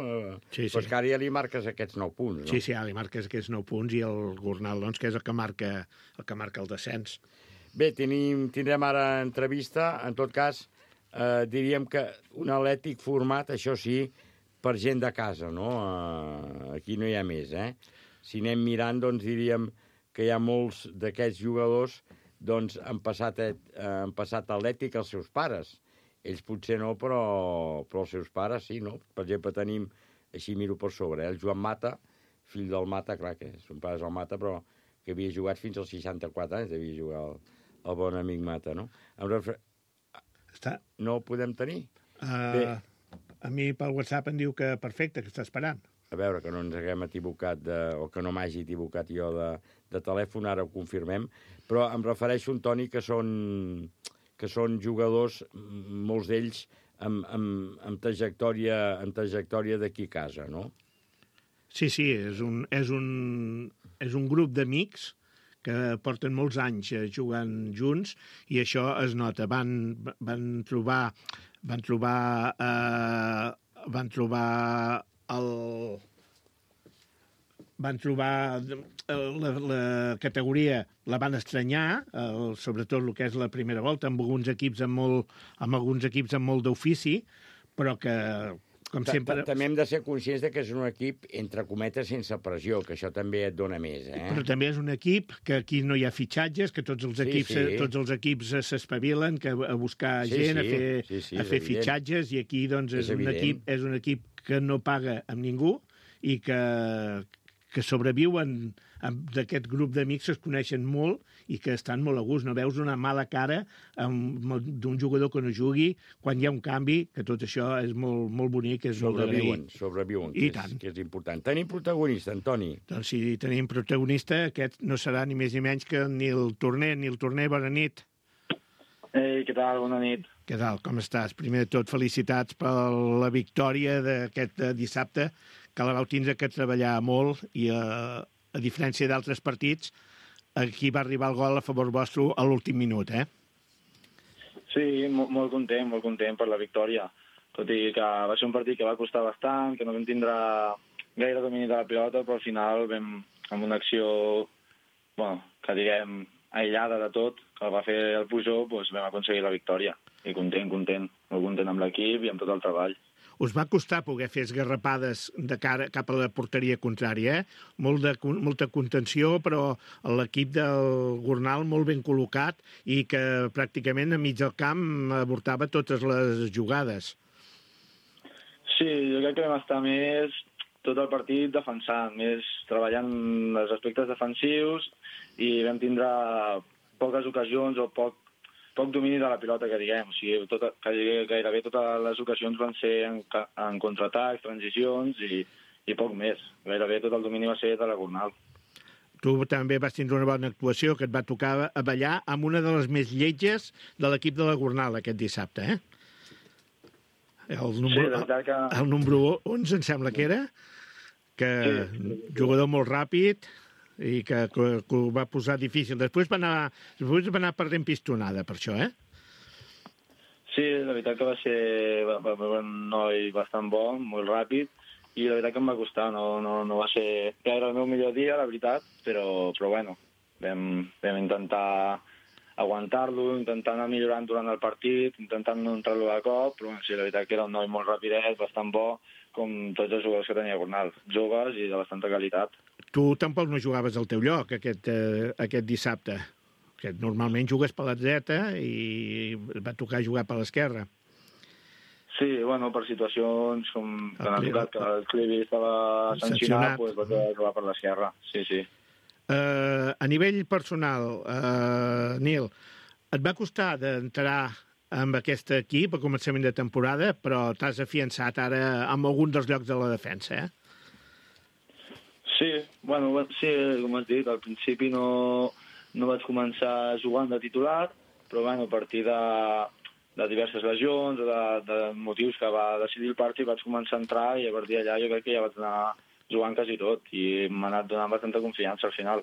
Sí. Però és que ara ja li marques aquests 9 punts, no? Sí, ara li marques aquests 9 punts i el Gornal, doncs, que és el que marca el descens. Bé, tindrem ara entrevista, en tot cas, diríem que un Atlètic format, això sí, per gent de casa, no? Aquí no hi ha més, eh? Si anem mirant, doncs diríem que hi ha molts d'aquests jugadors doncs han passat a Atlètic els seus pares. Ells potser no, però els seus pares sí, no? Per exemple, tenim, així miro per sobre, el Joan Mata, fill del Mata, clar que son pare és el Mata, però que havia jugat fins als 64 anys, devia jugar el bon amic Mata, no? No ho podem tenir? Bé. A mi pel WhatsApp em diu que perfecte, que està esperant. A veure, que no ens haguem equivocat, o que no m'hagi equivocat jo de telèfon, ara ho confirmem, però em refereixo, Antoni, que són jugadors, molts d'ells, amb trajectòria d'aquí a casa, no? Sí, és un grup d'amics que porten molts anys jugant junts i això es nota. Van trobar van trobar la categoria, la van estranyar, sobretot el que és la primera volta, amb alguns equips amb molt d'ofici, però que, com sempre... També hem de ser conscients de que és un equip, entre cometes, sense pressió, que això també et dona més, Però també és un equip que aquí no hi ha fitxatges, que tots els equips s'espavilen a buscar gent, a fer fitxatges, i aquí doncs, és un equip que no paga amb ningú i que sobreviuen d'aquest grup d'amics, es coneixen molt i que estan molt a gust. No veus una mala cara d'un jugador que no jugui quan hi ha un canvi, que tot això és molt, molt bonic, és molt d'agrair. Sobreviuen, que és important. Tenim protagonista, Antoni. Doncs si tenim protagonista, aquest no serà ni més ni menys que ni el Torner. Bona nit. Ei, què tal? Bona nit. Què tal? Com estàs? Primer de tot, felicitats per la victòria d'aquest dissabte, que la vau tindre que treballar molt i, a diferència d'altres partits, aquí va arribar el gol a favor vostre a l'últim minut, Sí, molt content per la victòria. Tot i que va ser un partit que va costar bastant, que no vam tindre gaire domini de la pilota, però al final vam, amb una acció, que diguem, aïllada de tot, que va fer el Pujol, doncs vam aconseguir la victòria. I content, molt content amb l'equip i amb tot el treball. Us va costar poder fer esgarrapades de cara cap a la porteria contrària, molta contenció, però l'equip del Gornal molt ben col·locat i que pràcticament a mig del camp avortava totes les jugades. Sí, jo crec que vam estar més tot el partit defensant, més treballant els aspectes defensius i vam tindre poques ocasions o poc domini de la pilota, que diguem. O sigui, gairebé totes les ocasions van ser en contraatacs, transicions i poc més. Gairebé tot el domini va ser de la Gornal. Tu també vas tindre una bona actuació, que et va tocar a ballar amb una de les més lletges de l'equip de la Gornal aquest dissabte, El número 11, em sembla que era, jugador molt ràpid i que ho va posar difícil. Després va anar perdent pistonada per això, Sí, la veritat que va ser un noi bastant bo, molt ràpid, i la veritat que em va costar, no va ser gaire el meu millor dia, la veritat, però bueno, vam intentar aguantar-lo, intentant anar millorant durant el partit, intentant no entrar-lo de cop, però sí, la veritat que era un noi molt rapidet, bastant bo, com tots els jugadors que tenia Gornal, joves i de bastanta qualitat. Tu tampoc no jugaves al teu lloc aquest dissabte, que normalment jugues per la dreta i va tocar jugar per l'esquerra. Sí, per situacions com que han tocat que el Clivi estava sancionat, doncs va jugar per l'esquerra, sí. A nivell personal, Nil, et va costar d'entrar amb aquest equip a començament de temporada, però t'has afiançat ara en algun dels llocs de la defensa, Sí, sí, com has dit, al principi no vaig començar jugant de titular, però a partir de diverses lesions o de motius que va decidir el partit vaig començar a entrar i a partir d'allà jo crec que ja vaig anar jugant quasi tot i m'ha anat donant bastanta confiança al final.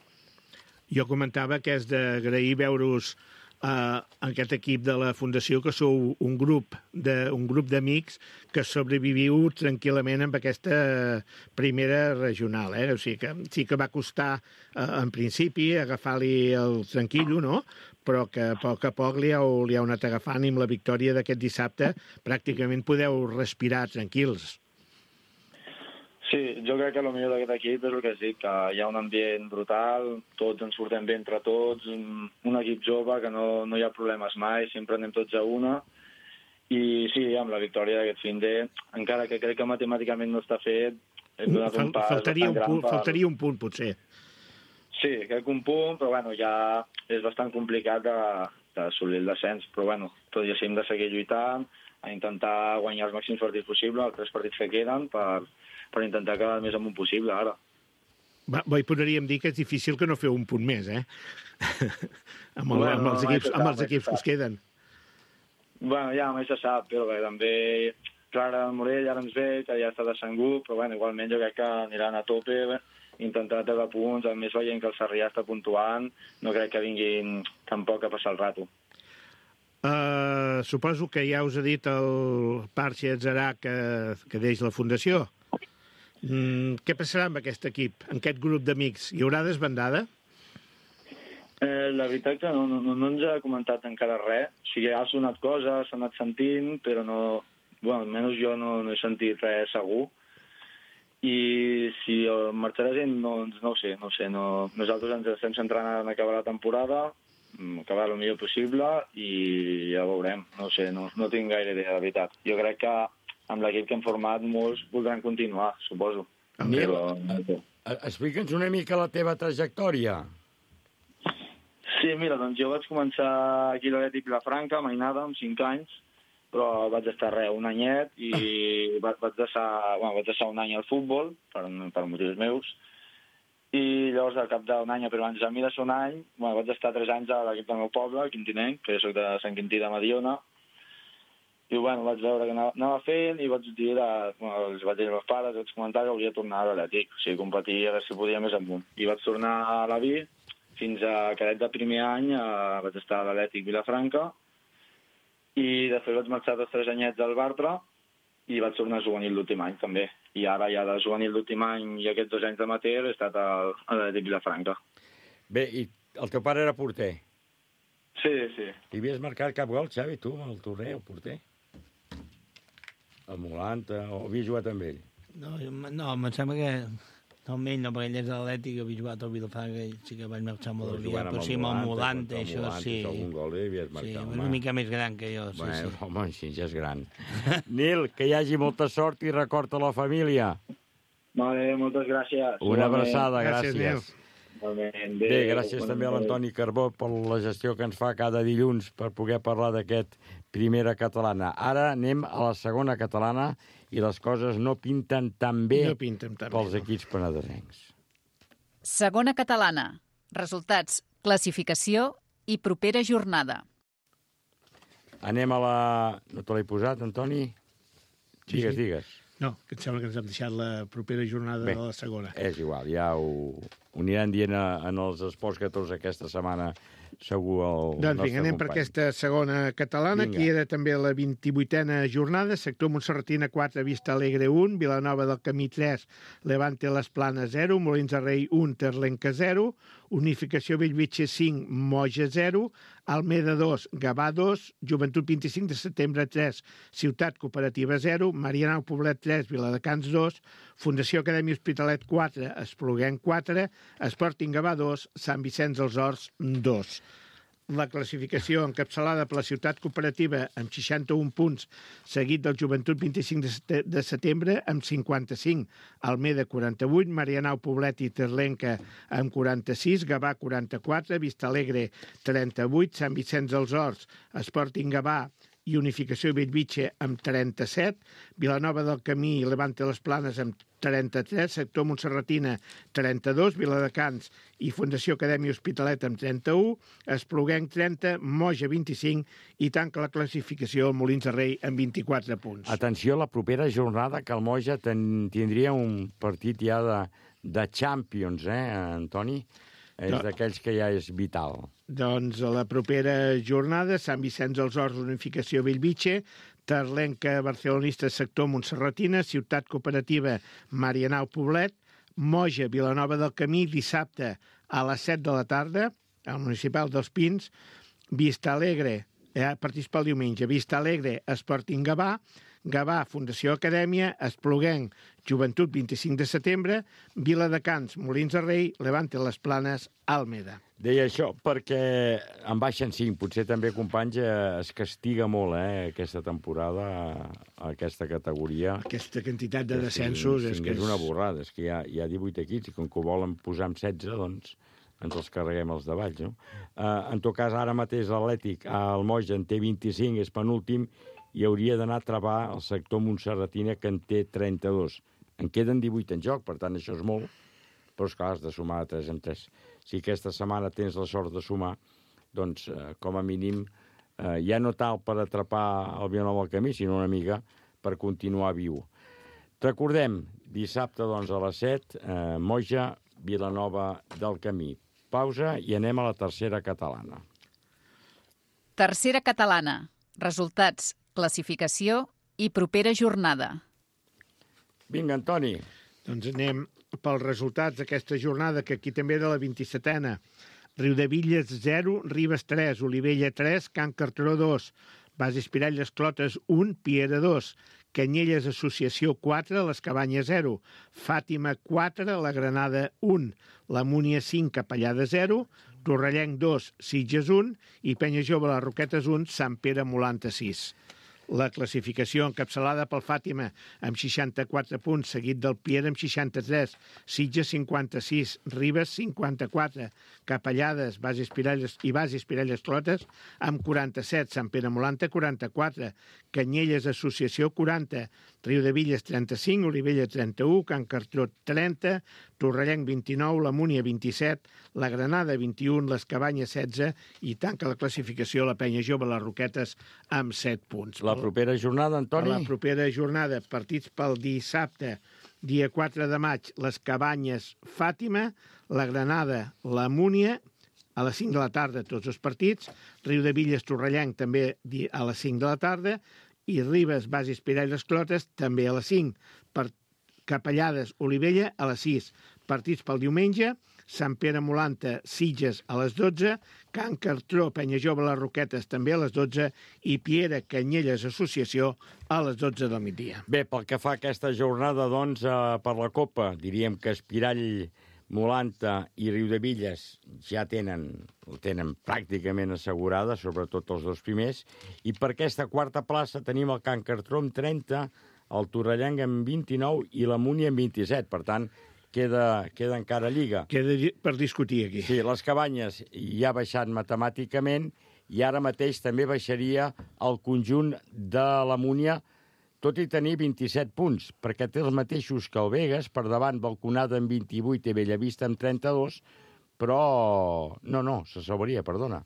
Jo comentava que és d'agrair veure-us en aquest equip de la Fundació, que sou un grup d'amics que sobreviviu tranquil·lament amb aquesta primera regional. O sigui que sí que va costar en principi agafar-li el tranquillo, no? Però que a poc li heu anat agafant i amb la victòria d'aquest dissabte pràcticament podeu respirar tranquils. Sí, jo crec que el millor d'aquest equip és el que has dit, que hi ha un ambient brutal, tots ens portem bé entre tots, un equip jove que no hi ha problemes mai, sempre anem tots a una, i sí, amb la victòria d'aquest finde, encara que crec que matemàticament no està fet, hem donat un pas bastant gran. Faltaria un punt, potser. Sí, crec que un punt, però ja és bastant complicat d'assolir el descens, però tot i així hem de seguir lluitant, a intentar guanyar els màxims partits possibles, els 3 partits que queden, per intentar quedar el més amunt possible, ara. Hi podríem dir que és difícil que no feu un punt més, amb els equips que us queden. Ja mai se sap, però també Clara del Morell ara ens ve, que ja està descengut, però igualment jo crec que aniran a tope, intentar treure punts, a més veient que el Sarrià està puntuant, no crec que vinguin tampoc a passar el rato. Suposo que ja us ha dit el Parxe Atzarà que deix la Fundació. Què passarà amb aquest equip, amb aquest grup d'amics? Hi haurà desbandada? La veritat que no ens ha comentat encara res. O sigui, ha sonat coses, s'ha anat sentint, però no... Bueno, almenys jo no he sentit res segur. I si marxarà gent, no ho sé. Nosaltres ens estem centrant en acabar la temporada, acabar el millor possible i ja veurem. No ho sé, no tinc gaire idea, de veritat. Jo crec que amb l'equip que hem format molts voldran continuar, suposo. Nil, explica'ns una mica la teva trajectòria. Sí, mira, doncs jo vaig començar aquí a l'Atlètic Vilafranca, a Mainada, amb 5 anys, però vaig estar un anyet i vaig deixar un any al futbol, per motius meus, i llavors al cap d'un any, però abans de mi de ser un any, vaig estar 3 anys a l'equip del meu poble, el Quintinenc, que soc de Sant Quintí de Mediona, i vaig veure que anava fent i vaig dir, els vaig dir als meus pares, vaig comentar que volia tornar a l'Atlètic, o sigui, competir a veure si podia més amunt. I vaig tornar a la Vi, fins a cadet de primer any vaig estar a l'Atlètic Vilafranca i després vaig marxar 3 anyets al Bartra i vaig tornar a juvenil l'últim any també. I ara ja de juvenil l'últim any i aquests 2 anys d'amateur he estat a l'Atlètic Vilafranca. Bé, i el teu pare era porter? Sí. Hi havies marcat cap gol, Xavi, tu, amb el torner, el porter? El Molanta, o havies jugat amb ell? No, em sembla que... No, amb ell no, perquè ell és atlètic, havia jugat al Vilafranca i sí que vaig marxar molt aviat, però sí, amb el Molante, això sí. Algun gol havies marcat, sí, una mica més gran que jo, sí. Bueno, home, així ja és gran. Nil, que hi hagi molta sort i record a la família. Vale, moltes gràcies. Una abraçada, gràcies. Bé, gràcies també a l'Antoni Carbó per la gestió que ens fa cada dilluns per poder parlar d'aquest Primera Catalana. Ara anem a la Segona Catalana i les coses no pinten tan bé pels equips penedesencs. Segona Catalana. Resultats, classificació i propera jornada. Anem a la... No te l'he posat, Antoni? Digues. No, que em sembla que ens hem deixat la propera jornada de la segona. És igual, ja ho aniran dient en els Esports 14 aquesta setmana segur el doncs vinga, anem per aquesta segona catalana, que era també la 28a jornada, sector Montserratina 4, Vista Alegre 1, Vilanova del Camí 3, Levante Les Planes 0, Molins de Rei 1, Terlenca 0, Unificació Bellvitge 5, Moja 0, Almeda 2, Gavà 2, Joventut 25 de setembre 3, Ciutat Cooperativa 0, Marianao Poblet 3, Viladecans 2, Fundació Acadèmia Hospitalet 4, Espluguenc 4, Sporting Gavà 2, Sant Vicenç dels Horts 2. La classificació encapçalada per la Ciutat Cooperativa amb 61 punts, seguit del Joventut 25 de setembre amb 55, Almeda 48, Marianao Poblet i Terlenca amb 46, Gavà 44, Vista Alegre 38, Sant Vicenç dels Horts, Sporting Gavà i Unificació Bellvitge amb 37, Vilanova del Camí i Levante Les Planes amb 33, sector Montserratina 32, Viladecans i Fundació Acadèmia Hospitalet amb 31, Espluguenc 30, Moja 25 i tanca la classificació el Molins de Rei amb 24 punts. Atenció, la propera jornada que el Moja tindria un partit ja de Champions, Antoni? És d'aquells que ja és vital. Doncs a la propera jornada, Sant Vicenç dels Horts, Unificació Bellvitge, Terlenca Barcelonista, sector Montserratina, Ciutat Cooperativa Marianao Poblet, Moja Vilanova del Camí, dissabte a les 7 de la tarda, al Municipal dels Pins, Vista Alegre, partits pel diumenge, Vista Alegre, Sporting Gavà, Gavà, Fundació Acadèmia, Espluguenc, Joventut 25 de setembre, Viladecans, Molins de Rei, Levante Les Planes, Almeda. Deia això perquè en baixen 5. Potser també, companys, es castiga molt aquesta temporada a aquesta categoria. Aquesta quantitat de descensos... És una borrada. És que hi ha 18 equips i com que ho volen posar amb 16, doncs ens els carreguem els davalls, no? En tot cas, ara mateix l'Atlètic, el Moja en té 25, és penúltim, i hauria d'anar a travar el sector Montserratina, que en té 32. En queden 18 en joc, per tant, això és molt, però esclar, has de sumar de 3 en 3. Si aquesta setmana tens la sort de sumar, doncs, com a mínim, ja no tal per atrapar el Vilanova del Camí, sinó una mica per continuar viu. Recordem, dissabte, doncs, a les 7, Moja, Vilanova del Camí. Pausa i anem a la tercera catalana. Tercera catalana. Resultats, classificació i propera jornada. Vinga, Antoni. Doncs anem pels resultats d'aquesta jornada, que aquí també era la 27a. Riudebitlles 0, Ribes 3, Olivella 3, Can Cartró 2, Bases Piralles Clotes 1, Piera 2, Canyelles Associació 4, Les Cabanyes 0, Fàtima 4, La Granada 1, la Múnia 5, Capellada 0, Torrellenc 2, Sitges 1 i Penya Jove Les Roquetes 1, Sant Pere Molanta 6. La classificació encapçalada pel Fàtima amb 64 punts, seguit del Piera amb 63, Sitges 56, Ribes 54, Capellades, Bases Piralles Clotes amb 47, Sant Pere Molanta 44, Canyelles Associació 40, Riudebitlles 35, Olivella 31, Can Cartró 30, Torrellenc 29, la Múnia 27, la Granada 21, les Cabanyes 16 i tanca la classificació la Penya Jove Les Roquetes amb 7 punts. La propera jornada, Antoni? La propera jornada, partits pel dissabte, dia 4 de maig, les Cabanyes Fàtima, la Granada, la Múnia, a les 5 de la tarda tots els partits, Riudebitlles Torrellenc també a les 5 de la tarda, i Ribes, Bases Piralles Clotes també a les 5. Per Capellades, Olivella a les 6. Partits pel diumenge, Sant Pere Molanta, Sitges a les 12, Can Cartró, Penya Jove Les Roquetes també a les 12 i Piera, Canyelles Associació a les 12 del migdia. Bé, pel que fa a aquesta jornada, doncs, per la Copa, diríem que Espirall, Molanta i Riudebitlles ja tenen pràcticament assegurada, sobretot els dos primers, i per aquesta quarta plaça tenim el Can Cartró amb 30, el Torrellenc amb 29 i la Múnia amb 27, per tant, queda encara lliga. Queda per discutir aquí. Sí, les Cabanyes ja ha baixat matemàticament i ara mateix també baixaria el conjunt de la Múnia, tot i tenir 27 punts, perquè té els mateixos que el Vegas, per davant Balconada amb 28 i Bellavista amb 32, però... No, s'assauria, perdona.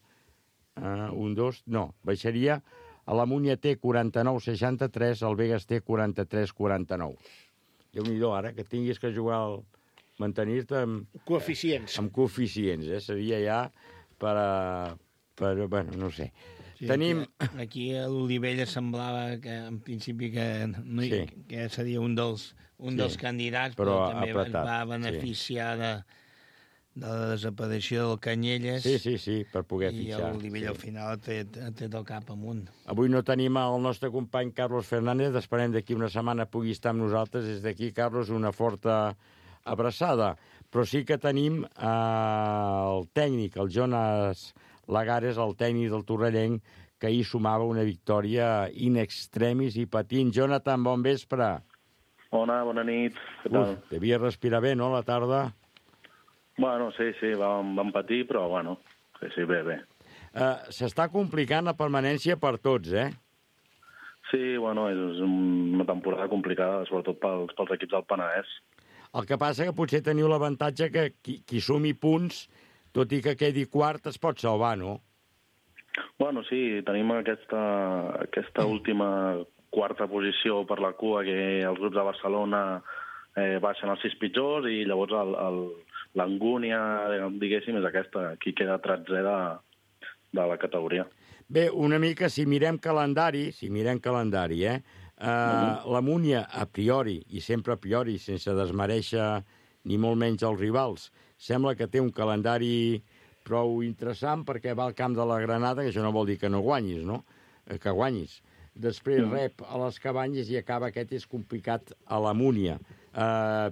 Baixaria... A la Múnia té 49-63, el Vegas té 43-49. Déu-n'hi-do, ara que tinguis que jugar mantenir-te amb... Coeficients. Amb coeficients, Seria ja bueno, no sé. Sí, Tenim... Aquí a l'Olivella semblava que, en principi, que seria un dels candidats, però també es va beneficiar de la desaparició del Canyelles. Sí, per poder fitxar. I l'Olivella al final té del cap amunt. Avui no tenim el nostre company Carlos Fernández, esperem d'aquí una setmana pugui estar amb nosaltres. Des d'aquí, Carlos, una forta abraçada. Però sí que tenim el tècnic, el Jonas Lagares, el tècnic del Torrellenc, que ahir sumava una victòria in extremis i patint. Jonathan, bon vespre. Bona nit. Què tal? Devia respirar bé, no, a la tarda? Bueno, sí, vam patir, però bueno, sí, bé. S'està complicant la permanència per tots, Sí, bueno, és una temporada complicada, sobretot pels equips del Penedès. El que passa que potser teniu l'avantatge que qui sumi punts, tot i que quedi quart, es pot salvar, no? Bueno, sí, tenim aquesta última quarta posició per la cua, que els grups de Barcelona baixen els 6 pitjors i llavors l'angúnia, diguéssim, és aquesta. Aquí queda 13è de la categoria. Bé, una mica, si mirem calendari, la Múnia, a priori, i sempre a priori, sense desmereixer ni molt menys els rivals, sembla que té un calendari prou interessant perquè va al camp de la Granada, que això no vol dir que no guanyis, no? Que guanyis. Després rep a les Cabanyes i acaba aquest és complicat a la Múnia.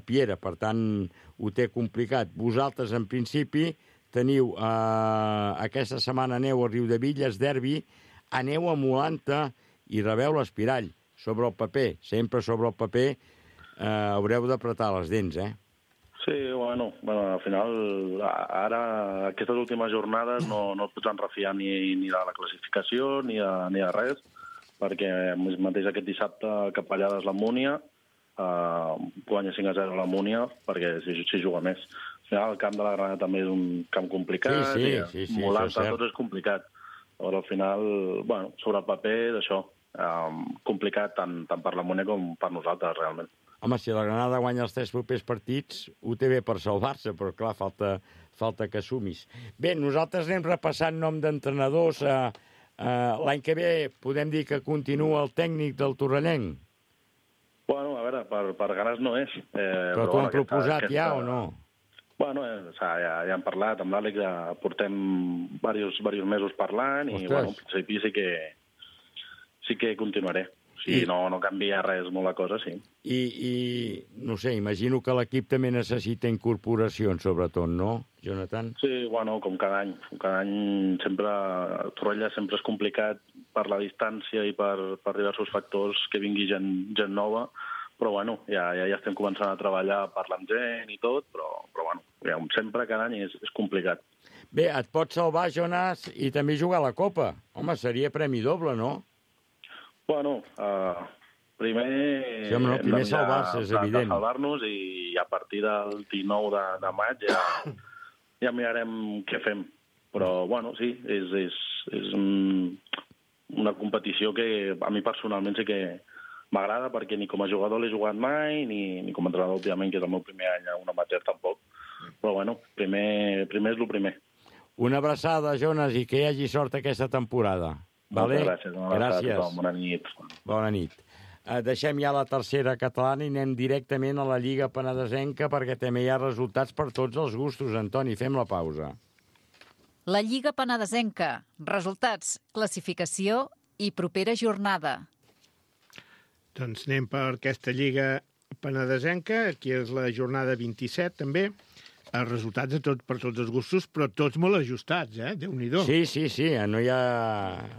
Piera, per tant, ho té complicat. Vosaltres, en principi, teniu aquesta setmana aneu a Riudebitlles, derbi, aneu a Molanta i rebeu l'Espirall. Sobre el paper, sempre sobre el paper, haureu d'apretar les dents, Sí, bueno, al final, ara, aquestes últimes jornades no et pots enrefiar ni de la classificació ni de res, perquè mateix aquest dissabte Capellades la Múnia, guanya 5-0 la Múnia, perquè s'hi juga més. Al final, el camp de la Granada també és un camp complicat, sí, Molanta, tot és complicat. Llavors, al final, bueno, sobre el paper, d'això, complicat tant per la Múnia com per nosaltres, realment. Home, si la Granada guanya els 3 propers partits, ho té bé per salvar-se, però clar, falta que sumis. Bé, nosaltres anem repassant nom d'entrenadors. L'any que ve podem dir que continua el tècnic del Torrellenc? Bueno, a veure, per ganes no és. Però t'ho han proposat ja o no? Bueno, ja hem parlat amb l'Àlex, ja portem diversos mesos parlant i, bueno, en principi sí que continuaré. Si no canvia res molt la cosa, sí. I no sé, imagino que l'equip també necessita incorporacions, sobretot, no, Jonathan? Sí, bueno, com cada any. Cada any sempre, Torrella sempre és complicat per la distància i per diversos factors que vingui gent nova, però bueno, ja estem començant a treballar, parlar amb gent i tot, però bueno, sempre cada any és complicat. Bé, et pots salvar, Jonas, i també jugar a la Copa. Home, seria premi doble, no? Bueno, primer sí, home, no, primer salvar-se, és evident. Salvar-nos i a partir del 19 de maig ja mirarem què fem. Però, bueno, sí, és una competició que a mi personalment sí que m'agrada perquè ni com a jugador l'he jugat mai, ni com a entrenador, òbviament, que és el meu primer any a un amateur tampoc. Però, bueno, primer és el primer. Una abraçada, Jonas, i que hi hagi sort aquesta temporada. Vale? Moltes gràcies. Gràcies. Bona nit. Bona nit. Deixem ja la tercera catalana i anem directament a la Lliga Penedesenca perquè també hi ha resultats per tots els gustos. Antoni, fem la pausa. La Lliga Penedesenca. Resultats, classificació i propera jornada. Doncs anem per aquesta Lliga Penedesenca. Aquí és la jornada 27, també. Els resultats per tots els gustos, però tots molt ajustats, Déu-n'hi-do. Sí, no hi ha...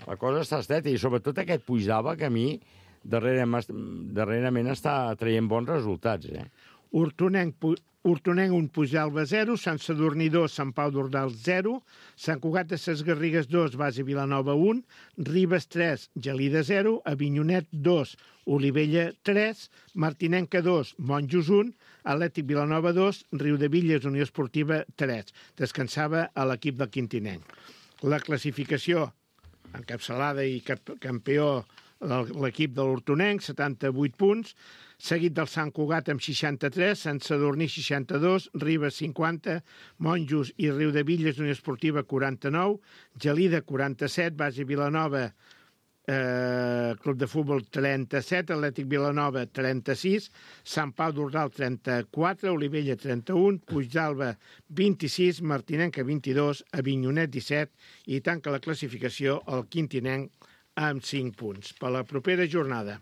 La cosa està estreta, i sobretot aquest Puigdàlber, que a mi darrerament està traient bons resultats, Hortonenc 1, Puigdàlber 0, Sant Sadurní 2, Sant Pau d'Ordal 0, Sant Cugat de Ses Garrigues 2, Base Vilanova 1, Ribes 3, Gelida 0, Avinyonet 2, Olivella 3, Martinenca 2, Monjos 1, Atlètic Vilanova 2, Riudebitlles, Unió Esportiva 3. Descansava a l'equip del Quintinenc. La classificació, encapçalada i campió l'equip de l'Hortonenc, 78 punts, seguit del Sant Cugat amb 63, Sant Sadurní 62, Ribes 50, Monjos i Riudebitlles, Unió Esportiva 49, Gelida 47, Base Vilanova, Club de Futbol 37, Atlètic Vilanova 36, Sant Pau d'Ordal 34, Olivella 31, Puigdàlber 26, Martinenca 22, Avinyonet 17 i tanca la classificació el Quintinenc amb 5 punts. Per la propera jornada,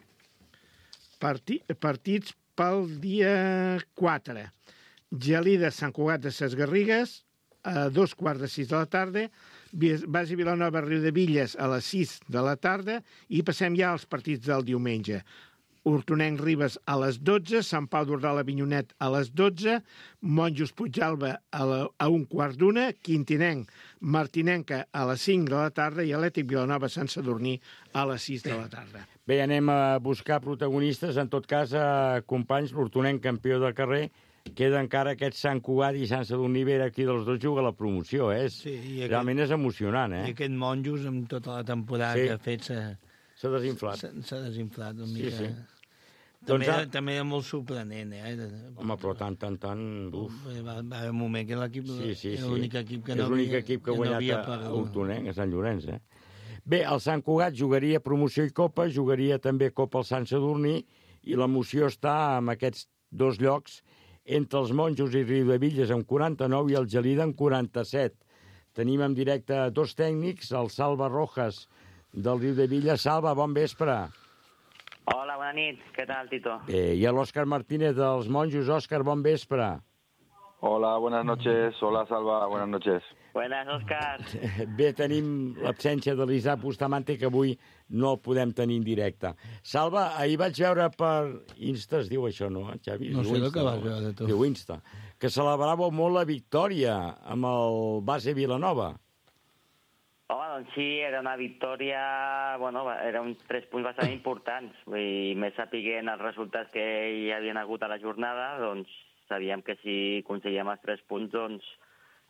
partits pel dia 4. Gelida, Sant Cugat de Ses Garrigues, a 2:15 de la tarda, Base Vilanova, Riudebitlles a les 6 de la tarda, i passem ja als partits del diumenge. Hortonenc Ribes a les 12, Sant Pau d'Ordal Avinyonet a les 12, Monjos Puigdàlber a 1:15, Quintinenc Martinenca a les 5 de la tarda i Atlètic Vilanova Sant Sadurní a les 6 de la tarda. Bé, anem a buscar protagonistes. En tot cas, companys, l'Hortonenc campió de carrer, queda encara aquest Sant Cugat i Sant Sadurní, vera aquí dels dos juga la promoció, Sí, realment és emocionant, I aquest Monjos, amb tota la temporada que ha fet, s'ha desinflat. S'ha desinflat una mica. Sí. També era molt sorprenent, Home, però tant... Va haver un moment que l'equip era l'únic equip que no havia... És l'únic equip que ha guanyat a Hortonenc, a Sant Llorenç, Bé, el Sant Cugat jugaria promoció i Copa, jugaria també Copa al Sant Sadurní, i l'emoció està en aquests dos llocs, entre els Monjos i Riudebitlles amb 49 i el Gelida amb 47. Tenim en directe dos tècnics, el Salva Rojas del Riudebitlles. Salva, bon vespre. Hola, bona nit. Què tal, Tito? Bé, i l'Òscar Martínez dels Monjos. Òscar, bon vespre. Hola, buenas noches. Hola, Salva, buenas noches. Buenas, Òscar. Bé, tenim l'absència de l'Isaac Bustamante, que avui no el podem tenir en directe. Salva, ahir vaig veure per Insta, es diu això, no, Xavi? No sé el que vas veure, tu. Diu Insta. Que celebràveu molt la victòria amb el Base Vilanova. Home, doncs sí, era una victòria... Bueno, eren 3 punts bastant importants. Vull dir, més sapiguent els resultats que hi havien hagut a la jornada, doncs sabíem que si aconseguíem els 3 punts, doncs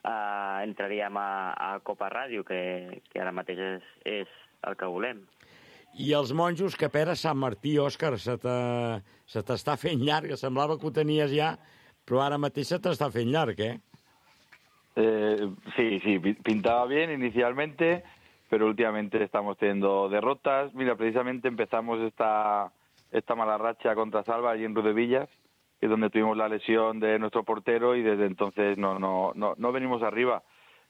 entraríem a Copa Ràdio, que ara mateix és el que volem. I els Monjos, que pera Sant Martí, Òscar, se t'està fent llarg. Semblava que ho tenies ja, però ara mateix se t'està fent llarg, Sí, pintaba bien inicialmente, pero últimamente estamos teniendo derrotas. Mira, precisamente empezamos esta esta mala racha contra Salva allí en Rudevillas, que es donde tuvimos la lesión de nuestro portero y desde entonces no venimos arriba.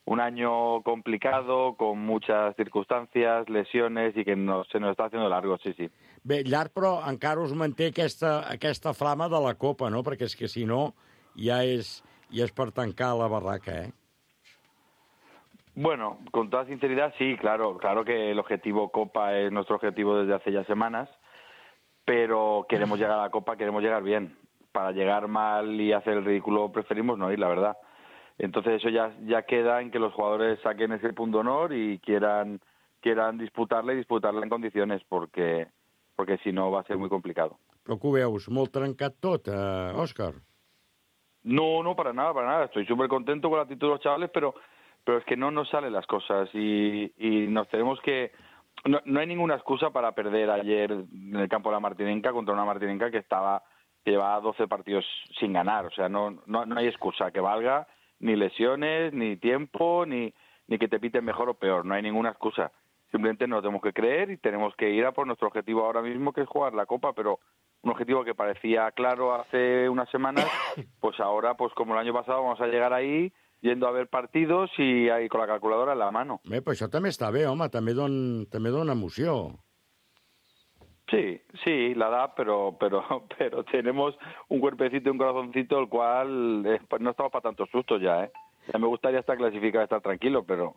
Un año complicado, con muchas circumstàncies, lesiones i que se nos està haciendo largo, sí. Bé, llarg, però encara us manté aquesta flama de la Copa, no? Perquè és que si no ja és per tancar la barraca, ¿eh? Bueno, con toda sinceridad, sí, claro que el objetivo Copa es nuestro objetivo desde hace ya semanas, pero queremos llegar a la Copa, queremos llegar bien. Para llegar mal y hacer el ridículo preferimos no ir, la verdad. Entonces eso ya queda en que los jugadores saquen ese punto de honor y quieran disputarla en condiciones, porque si no va a ser muy complicado. Però que ho veus, molt trencat tot, Òscar? No, para nada. Estoy súper contento con la actitud de los chavales, pero es que no nos salen las cosas y nos tenemos que... No hay ninguna excusa para perder ayer en el campo de la Martinenca contra una Martinenca que llevaba 12 partidos sin ganar. O sea, no hay excusa que valga, ni lesiones, ni tiempo, ni que te piten mejor o peor. No hay ninguna excusa. Simplemente nos tenemos que creer y tenemos que ir a por nuestro objetivo ahora mismo, que es jugar la Copa, pero un objetivo que parecía claro hace unas semanas, pues ahora, pues como el año pasado, vamos a llegar ahí yendo a ver partidos y ahí con la calculadora en la mano. Bé, però això també està bé, home, també dona emoció. Sí, la da, pero tenemos un cuerpecito y un corazoncito, el cual no estamos para tantos sustos ya, ¿eh? Ya me gustaría estar clasificado, estar tranquilo, pero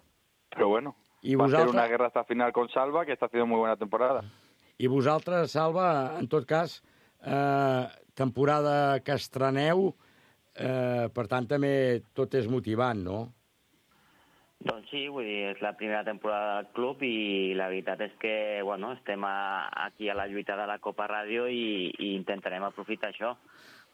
bueno. Va a ser una guerra hasta final con Salva, que está haciendo muy buena temporada. I vosaltres, Salva, en tot cas, temporada que estreneu, per tant també tot és motivant, no? Doncs sí, vull dir, és la primera temporada del club i la veritat és que, bueno, estem aquí a la lluita de la Copa Ràdio i intentarem aprofitar això.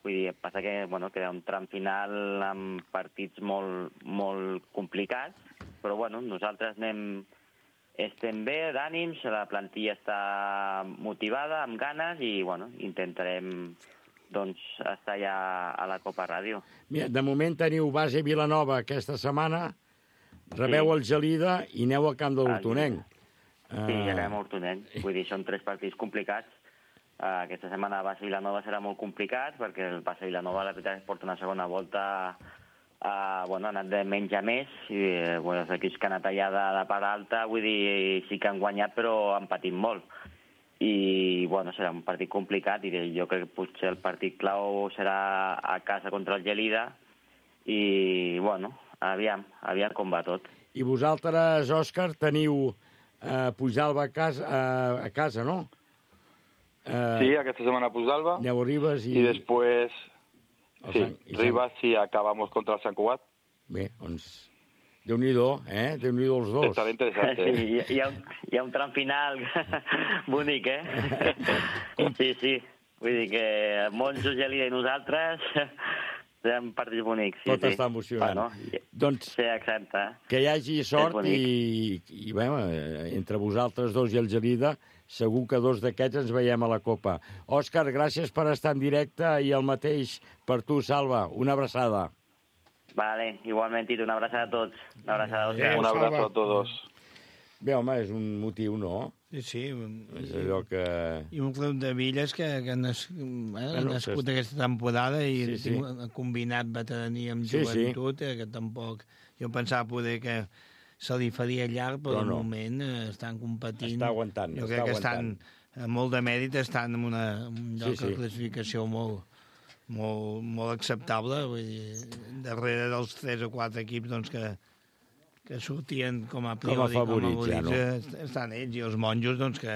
Vull dir, passa que, bueno, queda un tram final amb partits molt complicats, però, bueno, nosaltres estem bé d'ànims, la plantilla està motivada, amb ganes i, bueno, intentarem, doncs, estar ja a la Copa Ràdio. Mira, de moment teniu base Vilanova aquesta setmana, rebeu el Gelida i aneu al camp de l'Hortonenc. Sí, ja acabem a Hortonenc. Vull dir, són 3 partits complicats. Aquesta setmana Bassa Vilanova serà molt complicat, perquè el Bassa Vilanova, la veritat, es porta una segona volta, ha anat de menys a més, i els equips que han anat allà de part alta, vull dir, sí que han guanyat, però han patit molt. I, bueno, serà un partit complicat, i jo crec que potser el partit clau serà a casa contra el Gelida, i, bueno, aviam com va tot. I vosaltres, Òscar, teniu Pujalba a casa, no? Sí, aquesta setmana Pujalba. Aneu a Ribes i... I després, sí, Ribes sí, acabamos contra el Sant Cugat. Bé, doncs, Déu-n'hi-do, Déu-n'hi-do els dos. Estarà interessant, Sí, hi ha un tram final bonic, Sí. Vull dir que Monjos, Gelida i nosaltres... Serem partits bonics, sí. Tot està emocionant. Doncs, sí, exacte. Que hi hagi sort i entre vosaltres dos i el Gelida, segur que 2 d'aquests ens veiem a la Copa. Òscar, gràcies per estar en directe i el mateix per tu, Salva. Una abraçada. Vale, igualment, Tito, una abraçada a tots. Una abraçada a tots. Un abrazo a todos. Bé, home, és un motiu, no? Sí. És allò que... I un club de Villes que ha nascut aquesta temporada i ha combinat veterania amb joventut, que tampoc... Jo pensava poder que se li faria llarg, però de moment estan competint. Està aguantant. Jo crec que estan, molt de mèrit, estan en un lloc de classificació molt acceptable. Vull dir, darrere dels 3 o 4 equips doncs, que sortien com a priori, com a favorits, estan ells, i els Monjos, doncs, que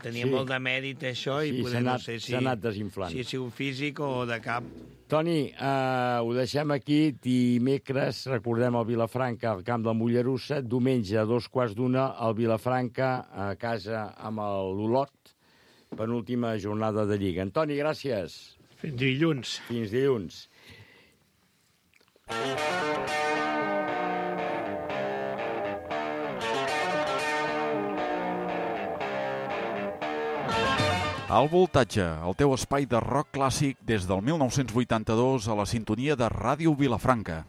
tenien molt de mèrit això, i poder, no sé si... s'ha anat desinflant. Si ha sigut físic o de cap. Toni, ho deixem aquí. Dimecres recordem el Vilafranca al camp de Mollerussa. Diumenge, a 2:15, el Vilafranca a casa amb l'Olot, penúltima jornada de Lliga. Antoni, gràcies. Fins dilluns. Fins dilluns. Al Voltatge, el teu espai de rock clàssic des del 1982 a la sintonia de Ràdio Vilafranca.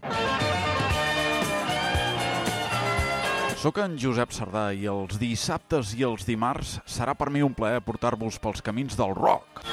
Soc en Josep Sardà i els dissabtes i els dimarts serà per mi un plaer portar-vos pels camins del rock.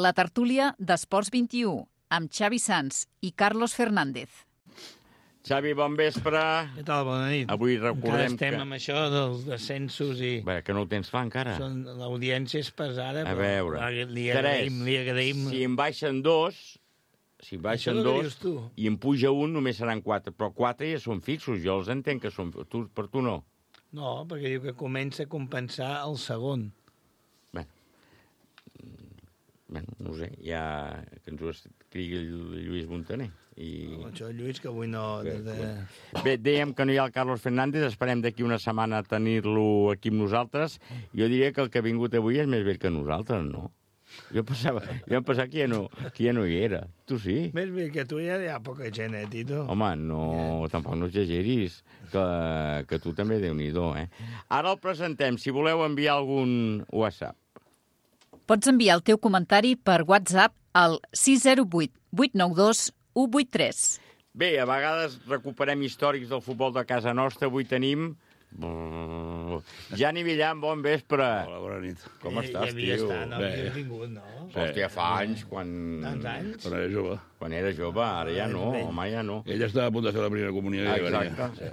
La tertúlia d'Esports 21, amb Xavi Sans i Carlos Fernández. Xavi, bon vespre. Què tal? Bona nit. Avui recordem estem amb això dels descensos i... Bé, que no ho tens clar encara. L'audiència és pesada, a veure, li agraïm. Si en baixen dos, i en puja un, només seran 4. Però 4 ja són fixos, jo els entenc que són... Per tu no? No, perquè diu que comença a compensar el segon. Bé, no ho sé, ja que ens ho escrigui el Lluís Montaner. Això, Lluís, que avui no... Bé, dèiem que no hi ha el Carlos Fernández, esperem d'aquí una setmana tenir-lo aquí amb nosaltres. Jo diria que el que ha vingut avui és més vell que nosaltres, no? Jo pensava que ja no hi era. Tu sí? Més vell que tu ja hi ha poca gent, Tito? Home, no, tampoc no exageris, que tu també Déu-n'hi-do, eh? Ara el presentem, si voleu enviar algun WhatsApp. Pots enviar el teu comentari per WhatsApp al 608 892 183. Bé, a vegades recuperem històrics del futbol de casa nostra. Avui tenim... Jani Villan, bon vespre. Hola, bona nit. Com estàs, tio? Ja havia estat, no havia vingut, no? Hòstia, fa anys, quan... Tants anys? Quan era jove. Quan era jove, ara ja no, home, ja no. Ella estava a punt de fer la primera comunió.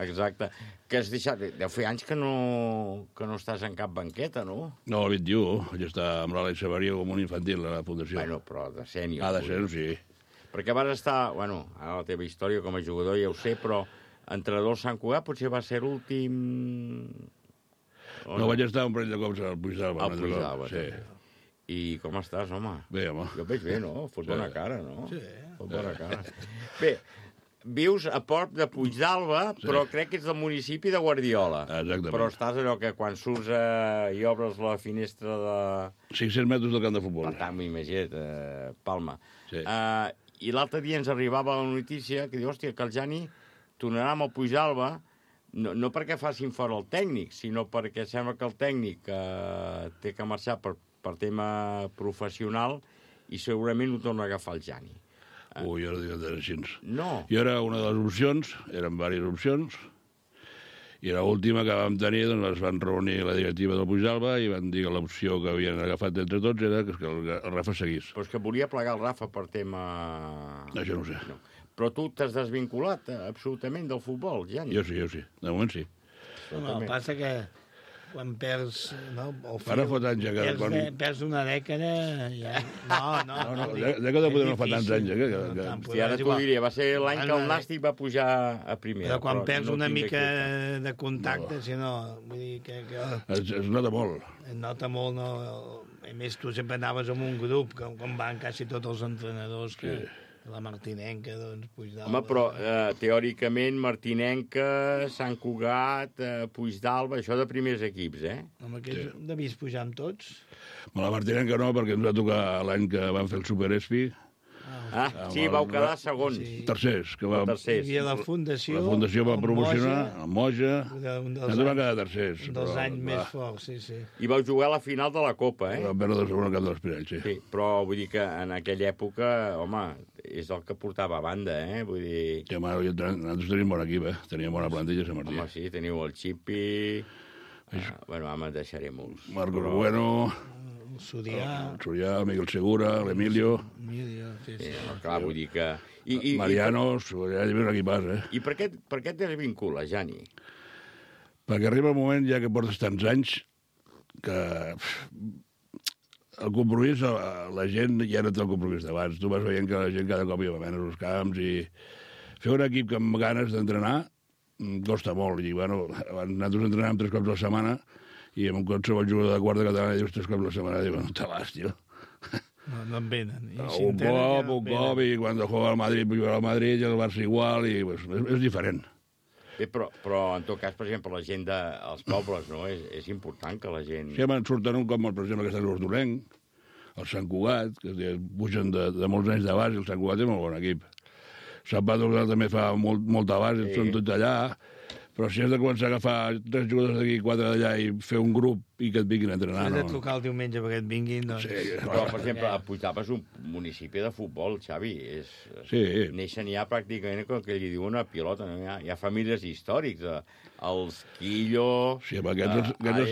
Exacte. Que has deixat... Deu fer anys que no estàs en cap banqueta, no? No, el 21. Ella està amb l'Àlex Sabaria com un infantil a la fundació. Bueno, però de sènior. De sènior, sí. Perquè vas estar... Bueno, ara la teva història com a jugador ja ho sé, però entrenador al Sant Cugat potser va ser l'últim... No, vaig estar un parell de cops al Puigdàlber. Al Puigdàlber, sí. I com estàs, home? Bé, home. Jo veig bé, no? Fot bona cara, no? Sí. Fot bona cara. Bé, vius a prop de Puigdàlber, però crec que ets del municipi de Guardiola. Exactament. Però estàs allò que quan surts i obres la finestra de... 500 metres del camp de futbol. Per tant, m'imagina't, Palma. Sí. I l'altre dia ens arribava la notícia que diu, hòstia, que el Jani tornarà amb el Puigdàlber, no perquè facin fora el tècnic, sinó perquè sembla que el tècnic té que marxar per tema professional i segurament ho torna a agafar el Jani. Ui, jo no dic que així. No. Jo era una de les opcions, eren diverses opcions, i l'última que vam tenir, doncs es van reunir la directiva del Puigdàlber i van dir que l'opció que havien agafat entre tots era que el Rafa seguís. Però és que volia plegar el Rafa per tema... Això no ho sé. No. Però tu t'has desvinculat absolutament del futbol, Jani. Jo sí. De moment sí. No, passa que quan perds... No, ara fot anys ja que... Perds una dècada... Ja... No. Dècada poder no fa tants anys, Hòstia, ara t'ho diria, va ser l'any que el Nàstic va pujar a primera. Però quan perds una mica de contacte, si no... Vull dir que... Es nota molt. Es nota molt, no... A més, tu sempre anaves amb un grup, com van quasi tots els entrenadors que... La Martinenca, doncs, Puigdàlber... Home, però teòricament Martinenca, Sant Cugat, Puigdàlber, això de primers equips, eh? Home, que devies pujar amb tots? La Martinenca no, perquè ens va tocar l'any que van fer el Super Espi. Sí, vau quedar segons. Tercers. Hi havia la Fundació... La Fundació va promocionar, el Moja... Nosaltres vam quedar tercers. Un dels anys més forts, sí. I vau jugar a la final de la Copa, eh? Vam perdre el segon cap dels Pirells, sí. Però vull dir que en aquella època, home, és el que portava a banda, eh? Vull dir... Sí, home, nosaltres tenim bon equip, eh? Teníem bona plantilla, Sant Martí. Home, sí, teniu el Xipi... Bueno, home, deixaré molts. Marcos Bueno... Surià, Miguel Segura, l'Emilio... Sí. Clar, vull dir que... Marianos, ja hi havia un equipàs, eh? I per què et desvincula, Jani? Perquè arriba el moment, ja que portes tants anys, que el compromís, la gent ja no té el compromís d'abans. Tu vas veient que la gent cada cop hi va menys als camps i fer un equip que amb ganes d'entrenar costa molt. I, bueno, nosaltres entrenàvem 3 cops a la setmana i amb un qualsevol jugador de quarta catalana dius 3 cops a la setmana, dius, no te vas, tio. No en venen. Un cop, i quan juega al Madrid, juega al Madrid, i el Barça igual, i pues, és diferent. Bé, però en tot cas, per exemple, la gent dels pobles, no? És important que la gent... Sí, me'n surten com, per exemple, aquest l'Hortonenc, el Sant Cugat, que pugen de molts anys de base, i el Sant Cugat és molt bon equip. Sant Pau també fa molta base, són tots allà, però si has de començar a agafar 3 jugadors d'aquí, 4 d'allà i fer un grup i que et vinguin a entrenar, no? Si has de trucar el diumenge perquè et vinguin, doncs... Sí, però, per exemple, Puigdàlber és un municipi de futbol, Xavi. Sí. Neixen ja pràcticament com que li diuen una pilota. No? Hi ha famílies històrics. Els Quillo... Sí, ara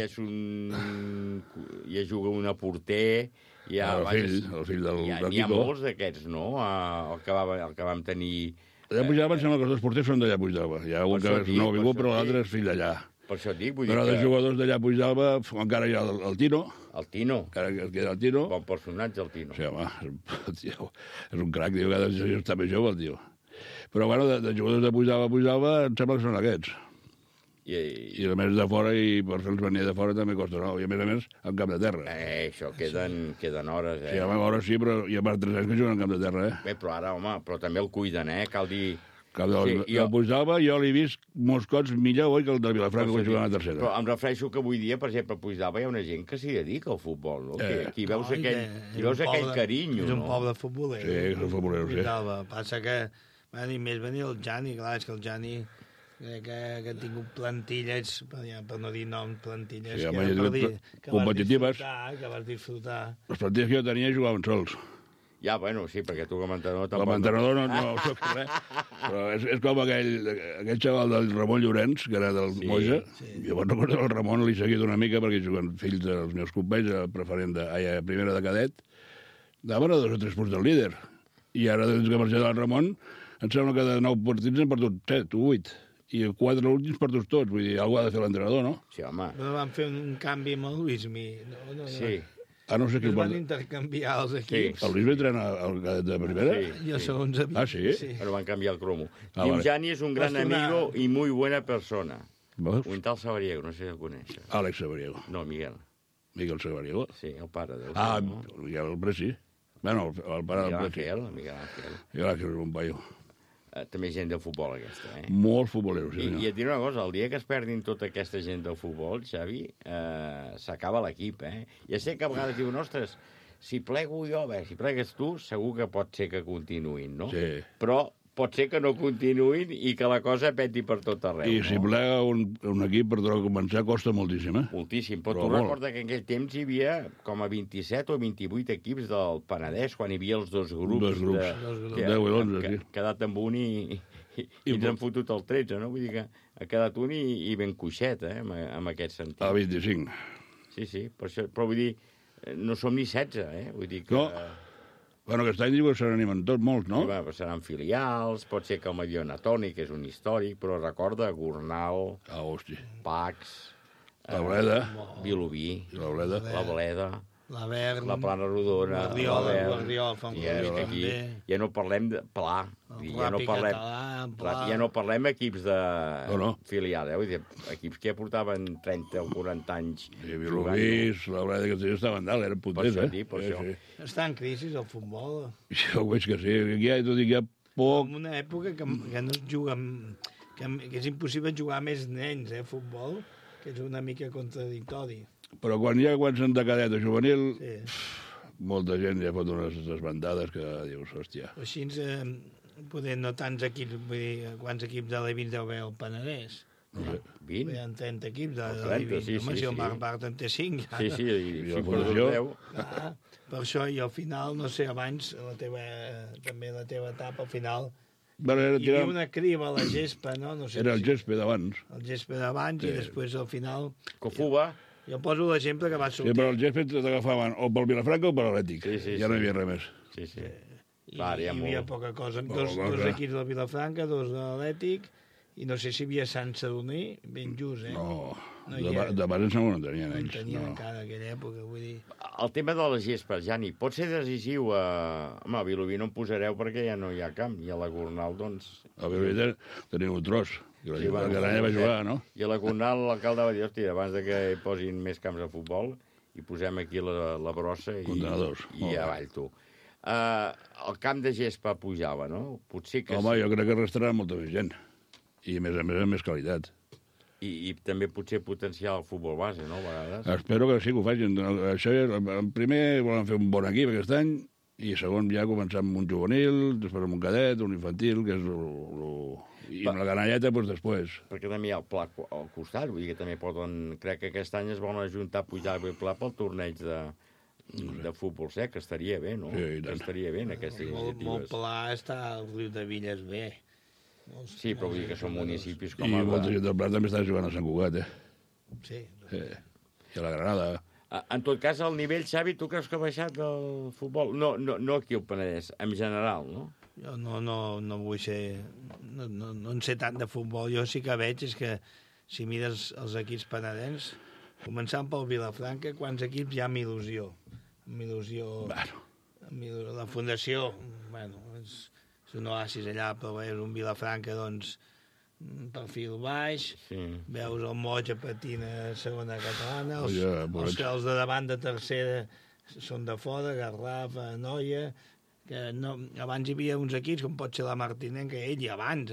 ja juga una porter... El fill del Quico. N'hi ha molts d'aquests, no? El que vam tenir... Allà a Puigdàlber em sembla que els dos porters són d'allà a Puigdàlber. Hi ha un que és nou vingut, però l'altre és fill d'allà. Per això et dic, vull dir però de jugadors d'allà a Puigdàlber encara hi ha el Tino. El Tino. Encara queda el Tino. Bon personatge, el Tino. Sí, home, és un crac, diu, que està més jove, el tio. Però, bueno, de jugadors de Puigdàlber em sembla que són aquests. I a més de fora, i per fer-los venir de fora també costa nou. I a més, en camp de terra. Això, queden hores, Sí, home, hores sí, però hi ha per 3 anys que juguen en camp de terra, Bé, però ara, home, però també el cuiden, cal dir... El Puigdàlber jo l'he vist molts cops millor que el de Vilafranca quan juguen a tercera. Però em refereixo que avui dia, per exemple, a Puigdàlber hi ha una gent que s'hi dedica al futbol, no? Aquí veus aquell carinyo, no? És un poble futboler. Sí, és un futboler, sí. Passa que va dir més venir el Jani, clar, és que el Jani... que ha tingut plantilles, per no dir noms, plantilles, competitives. Que vas disfrutar. Les plantilles que jo tenia jugaven sols. Ja, bueno, sí, perquè tu com a entrenador... Com a entrenador no soc res, però és com aquell xaval del Ramon Llorenç, que era del Moja. Jo me'n recordo el Ramon, li he seguit una mica, perquè juguen fills dels meus companys, a primera de cadet, daven a 2 o 3 punts del líder. I ara, des que marxa del Ramon, em sembla que de 9 partits hem perdut 7 o 8. I 4 últims per tots, vull dir, alguna ha de fer l'entrenador, no? Sí, home. Però van fer un canvi amb el Luismi. Sí. No sé qui van intercanviar els equips. El Luismi entrena de primera? Sí. Jo segons havia. Ah, sí? Però van canviar el cromo. Tim Jani és un gran amigo i muy buena persona. Un tal Sabariego, no sé si el coneix. Àlex Sabariego. No, Miguel. Miguel Sabariego? Sí, el pare del... Miguel Preci. Bueno, el pare del Preci. Miguel Ángel. Miguel Ángel és un paio. També gent del futbol, aquesta, Molt futbolero, sí. I et diré una cosa, el dia que es perdin tota aquesta gent del futbol, Xavi, s'acaba l'equip, Ja sé que a vegades diuen, ostres, si plego jo, si plegues tu, segur que pot ser que continuïn, no? Sí. Però pot ser que no continuïn i que la cosa peti per tot arreu. I si plega un equip per començar costa moltíssim, Moltíssim, però tu recorda que en aquell temps hi havia com a 27 o 28 equips del Penedès, quan hi havia els dos grups. 10 i 11, sí. Ha quedat amb un i ens han fotut el 13, no? Vull dir que ha quedat un i ben coixet, en aquest sentit. A 25. Sí, però vull dir, no som ni 16, vull dir que... No. Bueno, aquest any diu que se n'animen tots molts, no? Sí, seran filials, pot ser que el Mediona Toni, que és un històric, però recorda Gornal, Pax, la Bleda, Vilobí, la Bleda, l'Avern, la Plana Rodona, l'Arriol, aquí ja no parlem de Pla, ja no parlem equips de filial, vull dir, equips que ja portaven 30 o 40 anys Vilobí, la Bleda, que estaven dalt, eren potents, per això. Està en crisi el futbol. Jo veig que sí, aquí hi ha poc... En una època que no es juga, que és impossible jugar més nens, futbol, que és una mica contradictori. Però quan s'han de cadet a juvenil, molta gent ja fot unes desbandades que dius, hòstia. Així, poder no tants equips, vull dir, quants equips de l'E20 deu haver al Penedès? 20? Hi ha 30 equips de l'E20. Home, si el Marc Bart en té 5. Sí, i la Fundació. Per això, i al final, no sé, abans, també la teva etapa, al final... Hi havia una criba a la gespa, no? Era el gespa d'abans. El gespa d'abans i després, al final... Cofuba. Jo poso l'exemple que va sortir... Sí, però el gespa t'agafaven o pel Vilafranca o per l'Atlètic. Ja no hi havia res més. Sí. Hi havia poca cosa. Dos equips del Vilafranca, 2 de l'Atlètic, i no sé si hi havia Sant Sadurní, ben just, No, de base em sembla que no tenien ells. No tenien encara aquella època, vull dir... El tema de les gespes, Jani, pot ser decisiu Home, a Vilobí no en posareu perquè ja no hi ha camp, i a la Gornal, doncs... A Vilobí teniu un tros, que l'any va jugar, no? I a la Gornal l'alcalde va dir, hòstia, abans que posin més camps de futbol, i posem aquí la brossa i avall tu. El camp de gespa pujava, no? Potser que home, jo crec que restarà molta més gent. I, a més, amb més qualitat. I també potser potenciar el futbol base, no, a vegades? Espero que sí que ho facin. Això, en primer volen fer un bon equip aquest any, i segon ja començar amb un juvenil, després amb un cadet, un infantil, que és i amb la canalleta, doncs després. Perquè també hi ha el pla al costat, vull dir que també poden... Crec que aquest any es volen ajuntar a pujar el pla pel torneig de futbol sec, que estaria bé, no? Sí, que estaria bé en aquestes iniciatives. Molt pla està al riu de Villes bé. Sí, però vull dir que són municipis com... I molta gent del Prat també està jugant a Sant Cugat, Sí. I a la Granada. En tot cas, el nivell, Xavi, tu creus que ha baixat del futbol? No aquí al Penedès, en general, no? Jo no vull ser... No en sé tant de futbol. Jo sí que veig és que si mires els equips penedens, començant pel Vilafranca, quants equips hi ha amb il·lusió? Amb il·lusió... Bueno. La fundació, bueno, és un oasis allà, però és un Vilafranca, doncs, perfil baix, veus el Moja patint a segona catalana, els de davant de tercera són de fora, Garraf, Noia, que abans hi havia uns equips, com pot ser la Martinenca, i abans,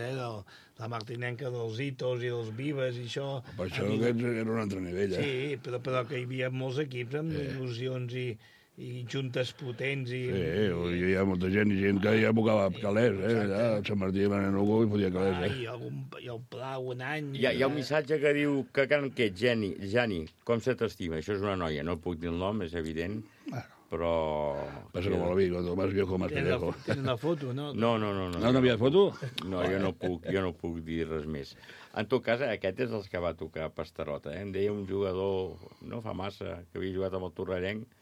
la Martinenca dels Itos i dels Vives i això... Per això era un altre nivell, Sí, però que hi havia molts equips amb il·lusions i juntes potents i... Sí, hi ha molta gent que ja bocava calés, allà, a Sant Martí de Manenugo i podia calés, I el Pla un any... Hi ha un missatge que diu que Jani, com se t'estima? Això és una noia, no puc dir el nom, és evident, però... Passa com a la vida, cuando más viejo, más pendejo. Tens una foto, no? No. No havia foto? No, jo no puc dir res més. En tot cas, aquest és el que va tocar Pastarota. Em deia un jugador, no fa massa, que havia jugat amb el Torrellenc,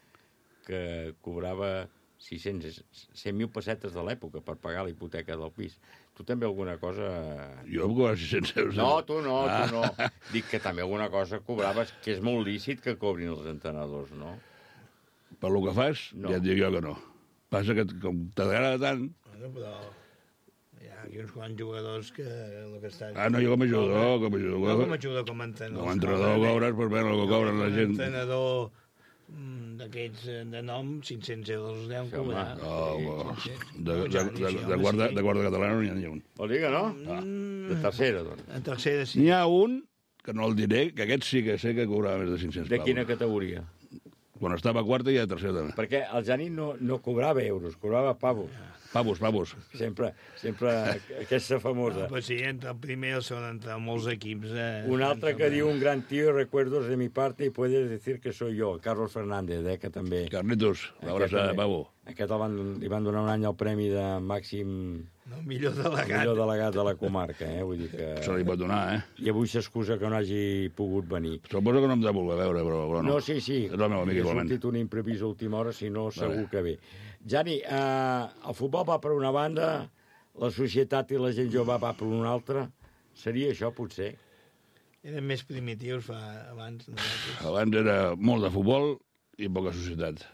que cobrava 100.000 pessetes de l'època per pagar la hipoteca del pis. Tu també alguna cosa... Jo em cobrava 600 euros. No, tu no. Dic que també alguna cosa cobraves, que és molt lícit que cobrin els entrenadors, no? Per lo que fas, ja et dic jo que no. Passa que com t'agrada tant... Però hi ha uns quants jugadors que... no, jo com a jugador. No com a jugador, com a entrenador. Com a entrenador cobres, per veure el que cobren la gent. Com a entrenador d'aquests de nom, 500 euros els deuen cobrar. De guarda catalana no n'hi ha un. Vol dir que no? De tercera, doncs. De tercera, sí. N'hi ha un, que no el diré, que aquest sí que sé que cobrava més de 500 pavos. De quina categoria? Quan estava a quarta i a tercera també. Perquè el Jani no cobrava euros, cobrava pavos. Pavos. Sempre aquesta famosa. Pues sí, entre el primer i el segon, entre molts equips. Un altre que diu, un gran tío, recuerdos de mi parte y puedes decir que soy yo, Carlos Fernández, que també... Carlitos, l'abraçada de pavo. Aquest li van donar un any el premi de màxim... Millor delegat de la comarca, vull dir que... Se li pot donar, I avui s'excusa que no hagi pogut venir. Suposo que no em de voler veure, però no. No, sí. És el meu amic, igualment. Ha sortit un imprevist a última hora, si no, segur que ve. Jani, el futbol va per una banda, la societat i la gent jove va per una altra. Seria això, potser? Eren més primitius abans. Abans era molt de futbol i poca societat.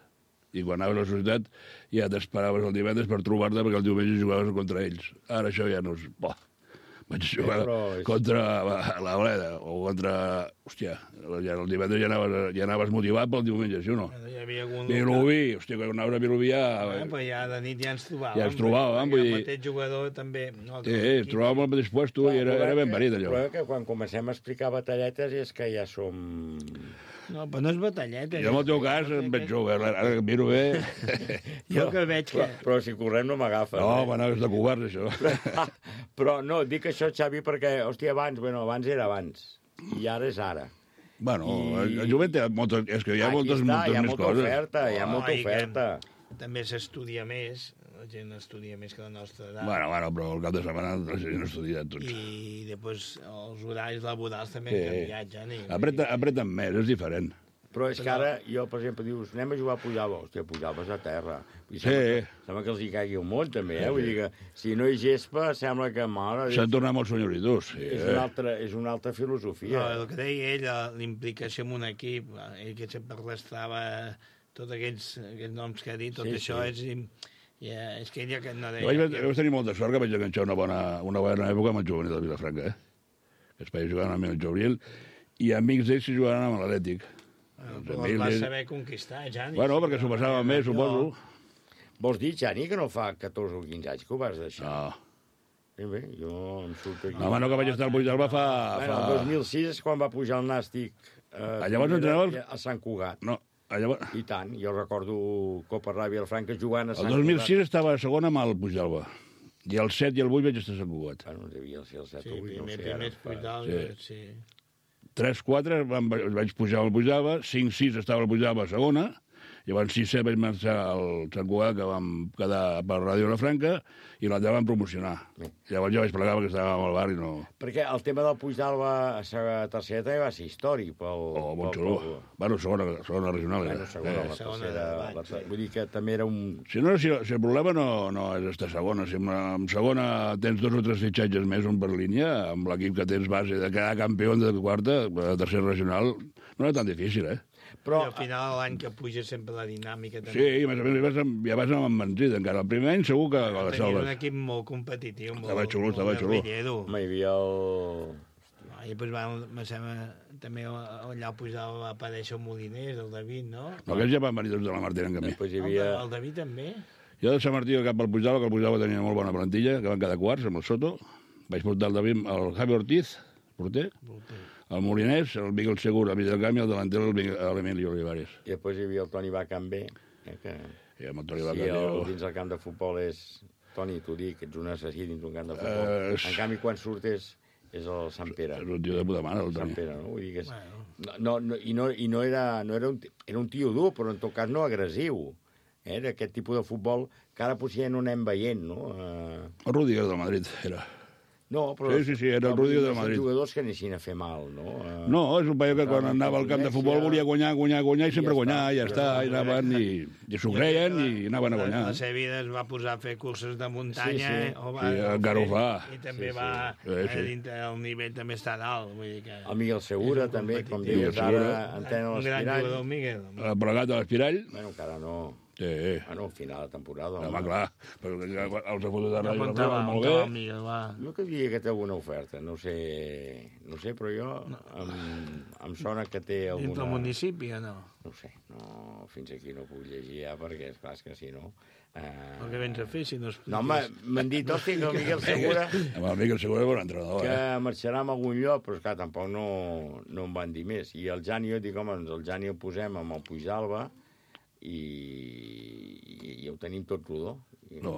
I quan anaves a la societat ja t'esperaves el divendres per trobar-te perquè el diumenge jugaves contra ells. Ara això ja no és... Vaig jugar contra la Bleda o contra... Hòstia, el divendres ja anaves motivat pel diumenge, sí o no? Vilobí, hòstia, quan anaves a Vilobí ja... Però ja de nit ja ens trobàvem. Ja ens trobàvem, vull dir... El mateix jugador també... Sí, ens trobàvem al mateix puesto i era ben parit, allò. Però que quan comencem a explicar batalletes és que ja som... No, però no és batalleta. Jo en el teu cas em veig jove, ara que miro bé... Jo que veig que... Però si correm no m'agafa. No, és de covards, això. Però no, dic això, Xavi, perquè, hòstia, abans era abans, i ara és ara. Bueno, el jovent té moltes... És que hi ha moltes més coses. Hi ha molta oferta. També s'estudia més, la gent estudia més que la nostra edat. Bueno, però el cap de setmana la gent estudia tots. I després els horaris laborals també han canviat, Jani. Apreten més, és diferent. Però és que ara, jo, per exemple, dius, anem a jugar a Pujava. Hòstia, Pujava és a terra. Sembla que els hi caigui un món, també, Vull dir que, si no hi gespa, sembla que... S'han tornat molt senyoritos. És una altra filosofia. No, el que deia ell, l'implicació en un equip, ell que sempre arrastrava tots aquests noms que ha dit, tot això és... És que ella que no deia... Vaig tenir molta sort que vaig enganxar una bona època amb el juvenil de Vilafranca, que es vaig jugar amb el juvenil, i amics d'ells s'hi jugaven amb l'Atlètic. Però els vas saber conquistar, Jani. Bueno, perquè s'ho passava més, suposo. Vols dir, Jani, que no fa 14 o 15 anys que ho vas deixar? No. Bé, jo em surto aquí. Home, no, que vaig estar al Puigdàlber fa... Bueno, el 2006 és quan va pujar el Nàstic llavors entrenava... a Sant Cugat. No, llavors... I tant, jo recordo Copa Ràbia Franca jugant a Sant El Cugat. 2006 estava a segona amb el Puigdàlber. I el 7 i el 8 vaig estar a Sant Cugat. Bueno, devia ser el 7 Sí, o 8, no sé. primers Puigdàlber, sí. 3-4 vaig pujar al Puigdàlber, 5-6 estava al Puigdàlber a segona, llavors 6-7 vaig marxar al Sant Cugat, que vam quedar per Ràdio Franca, i l'altre vam promocionar. Llavors ja vaig plegar perquè estàvem al bar i no... Perquè el tema del Puigdàlber a tercera també va ser històric pel... Oh, molt xulo. Bueno, segona regional. Bueno, segona, la tercera... Vull dir que també era un... Si el problema no és estar segona. Si en segona tens 2 o 3 fitxatges més, un per línia, amb l'equip que tens base de quedar campió de quarta, de tercera regional, no era tan difícil, Però al final l'any que puja sempre la dinàmica també. Sí, i més o menys ja vas amb embenzida encara. El primer any segur que la Tenia salves. un equip molt competitiu. Estava xulo. Home, hi havia el... I després me sembla, també allà va aparèixer el Moliners, el David, no? No, aquests ja van venir tots de la Martina en canvi. Després hi havia... El David també? Jo de Sant Martí cap al Puigdàlber, que el Puigdàlber tenia molt bona plantilla, que van quedar quarts amb el Soto. Vaig portar el David, el Javi Ortiz, porter. El Moliners, el Miguel Segur, el mig del camp, i el delanter, l'Emilio Olivares. I després hi havia el Toni Bacambé, que I amb el Toni Bacambé... dins el camp de futbol és... Toni, t'ho dic, ets un assassí dins un camp de futbol. En canvi, quan surt és el Sant Pere. És un tio de puta mare, el Toni. Sant Pere, no? Vull dir que és... I no era un tio dur, però en tot cas no agressiu. D'aquest tipus de futbol que ara potser ja no anem veient, no? El Rudiger del Madrid era... No, però... Sí, era el Rudiger del Madrid. Són jugadors que anessin a fer mal, no? No, és un paio que quan anava al camp de futbol volia guanyar i sempre guanyar, i ja està, i anaven i s'ho creien i anaven a guanyar. La Sevilla es va posar a fer curses de muntanya, encara ho fa. I també va, el nivell també està dalt. Vull dir que... El Miguel Segura, també, com dius, ara entén Un l'Espirall. gran jugador, Miguel. El plegat de l'Espirall. Bueno, encara no. Sí. Bueno, al final de temporada. Home, clar, però els ha fotut de ràdio molt bé. Jo que diria que té alguna oferta, no sé, però jo em sona que té alguna... Dintre el municipi o no? No sé, fins aquí no puc llegir ja, perquè és clar que si no... El que vens a fer, si no es... No, home, m'han dit, hòstia, que el Miguel Segura... El Miguel Segura és bon entrenador, que marxarà a algun lloc, però esclar, tampoc no em van dir més. I el Jani, jo dic, home, el Jani el posem amb el Puigdàlber, i ho tenim tot rodó. No.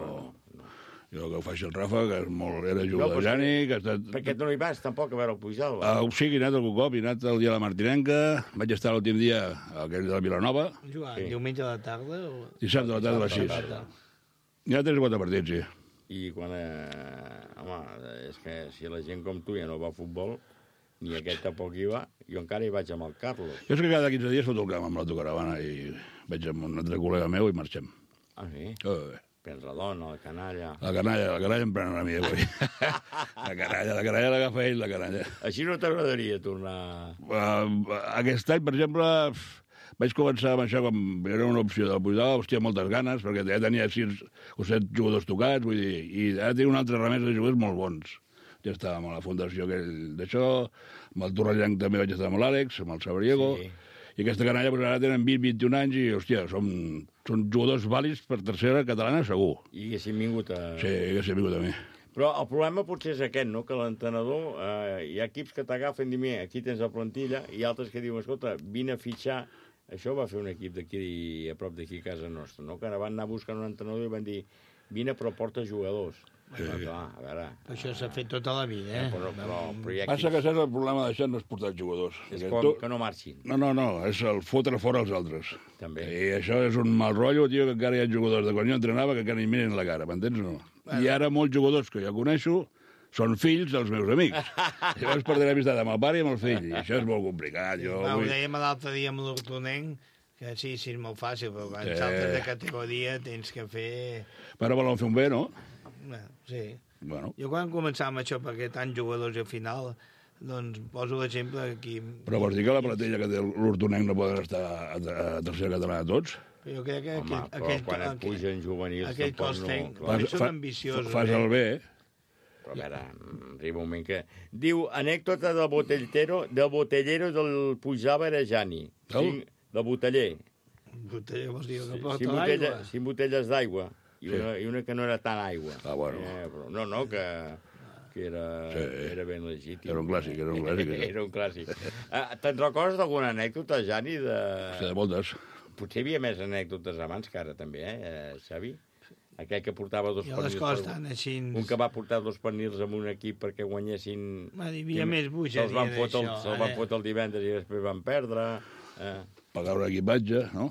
Jo que ho faci el Rafa, que era jugador de Jani, que ha estat... Perquè tu no hi vas, tampoc, a veure el Puigdàlber. Sí, he anat algun cop, he anat el dia de la Martinenca, vaig estar l'últim dia aquell de la Vilanova. Diumenge a la tarda? Dissabte a la tarda a les 6. Hi ha 3 o 4 partits, sí. I quan... home, és que si la gent com tu ja no va a futbol, ni aquest tampoc hi va, jo encara hi vaig amb el Carlos. Jo és que cada 15 dies foto el camp amb l'autocaravana i vaig amb un altre col·lega meu i marxem. Ah, sí? Prens la dona, la canalla... La canalla em pren una mi avui. La canalla l'agafa ell, la canalla. Així no t'agradaria tornar... Aquest any, per exemple, vaig començar amb això quan era una opció del Puigdàlber, hòstia, moltes ganes, perquè ja tenia 6 o 7 jugadors tocats, vull dir, i ara tinc una altra remesa de jugadors molt bons. Ja estàvem a la fundació d'això, amb el Torrellanc també vaig estar amb l'Àlex, amb el Sabriego, i aquesta canalla pues, ara tenen 20-21 anys i, hòstia, són jugadors vàlids per tercera catalana, segur. I haguessin vingut a... Sí, haguessin vingut a mi. Però el problema potser és aquest, no?, que l'entrenador, hi ha equips que t'agafen i diuen, aquí tens la plantilla, i altres que diuen, escolta, vine a fitxar. Això va fer un equip d'aquí, a prop d'aquí a casa nostra, no?, que ara van anar buscant un entrenador i van dir, vine però porta jugadors. Sí. Clar, a veure... Això s'ha fet tota la vida, Però hi ha passa que saps el problema d'això no és portar jugadors. És com que no marxin. No, és el fotre fora els altres. També. I això és un mal rotllo, tio, que encara hi ha jugadors de quan jo entrenava que encara ni miren la cara, m'entens o no? I ara molts jugadors que jo coneixo són fills dels meus amics. Llavors perdré l'amistat amb el pare i amb el fill, i això és molt complicat. Ho dèiem l'altre dia amb l'Hortonenc, que sí, és molt fàcil, però quan saltes de categoria tens que fer... Però volen fer un bé, no? Sí. Bueno. Jo quan començàvem això, perquè tants jugadors al final, doncs poso l'exemple aquí... Però vols dir que la platella que té l'Hortonenc no poden estar a tercera catalana tots? Jo crec que... Home, però quan et pugen juvenils... Aquell cos tècnic són ambiciosos. Fas el bé, Però a veure, arriba un moment que... Diu, anècdota del botellero del Puigdàlber a Jani. Del boteller. Boteller vols dir que porta l'aigua? 5 botelles d'aigua. I una que no era tan aigua. Ah, bueno. Però no, que que era ben legítim. Era un clàssic. Era un clàssic. Te'n recordes d'alguna anècdota, Jani? Sí, de moltes. Potser hi havia més anècdotes abans que ara, també, Xavi? Aquell que portava dos pernils. Les coses estan així... Un que va portar dos pernils amb un equip perquè guanyessin... Hi havia més bogeria d'això. Se'ls van fotre el divendres i després van perdre. Pagar un equipatge, no?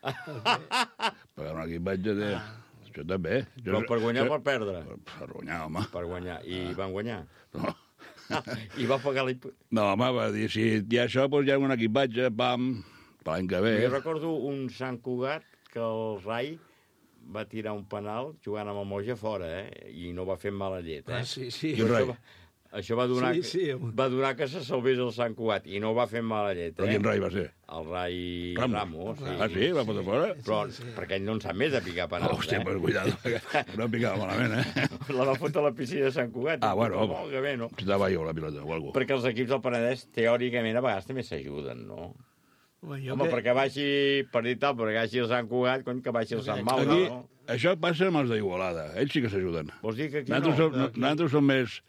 Pagar un equipatge de... Això també. Però per guanyar o per perdre? Per guanyar, home. Per guanyar. I van guanyar? No. I va pagar No, home, va dir, si hi ha això, doncs hi ha un equipatge, pam, per l'any que ve. Jo recordo un Sant Cugat que el Rai va tirar un penal jugant amb el Moja fora, i no va fer mala llet, Sí. Això va donar que se salvés el Sant Cugat, i no va fer mala llet, Però quin Rai va ser? El Rai Ramos. Sí? Va fotre fora? Però perquè ell no en sap més de picar penals, Hòstia, pues cuidado, no picava malament, La va fotre a la piscina de Sant Cugat. Bueno, molt que bé, no? Si estava jo la pilota o alguna cosa. Perquè els equips del Penedès, teòricament, a vegades també s'ajuden, no? Perquè baixi, per dir tal, perquè baixi el Sant Cugat, que baixi el Sant Maura, no? Això passa amb els d'Igualada. Ells sí que s'ajuden. Vols dir que aquí Nosaltres som més...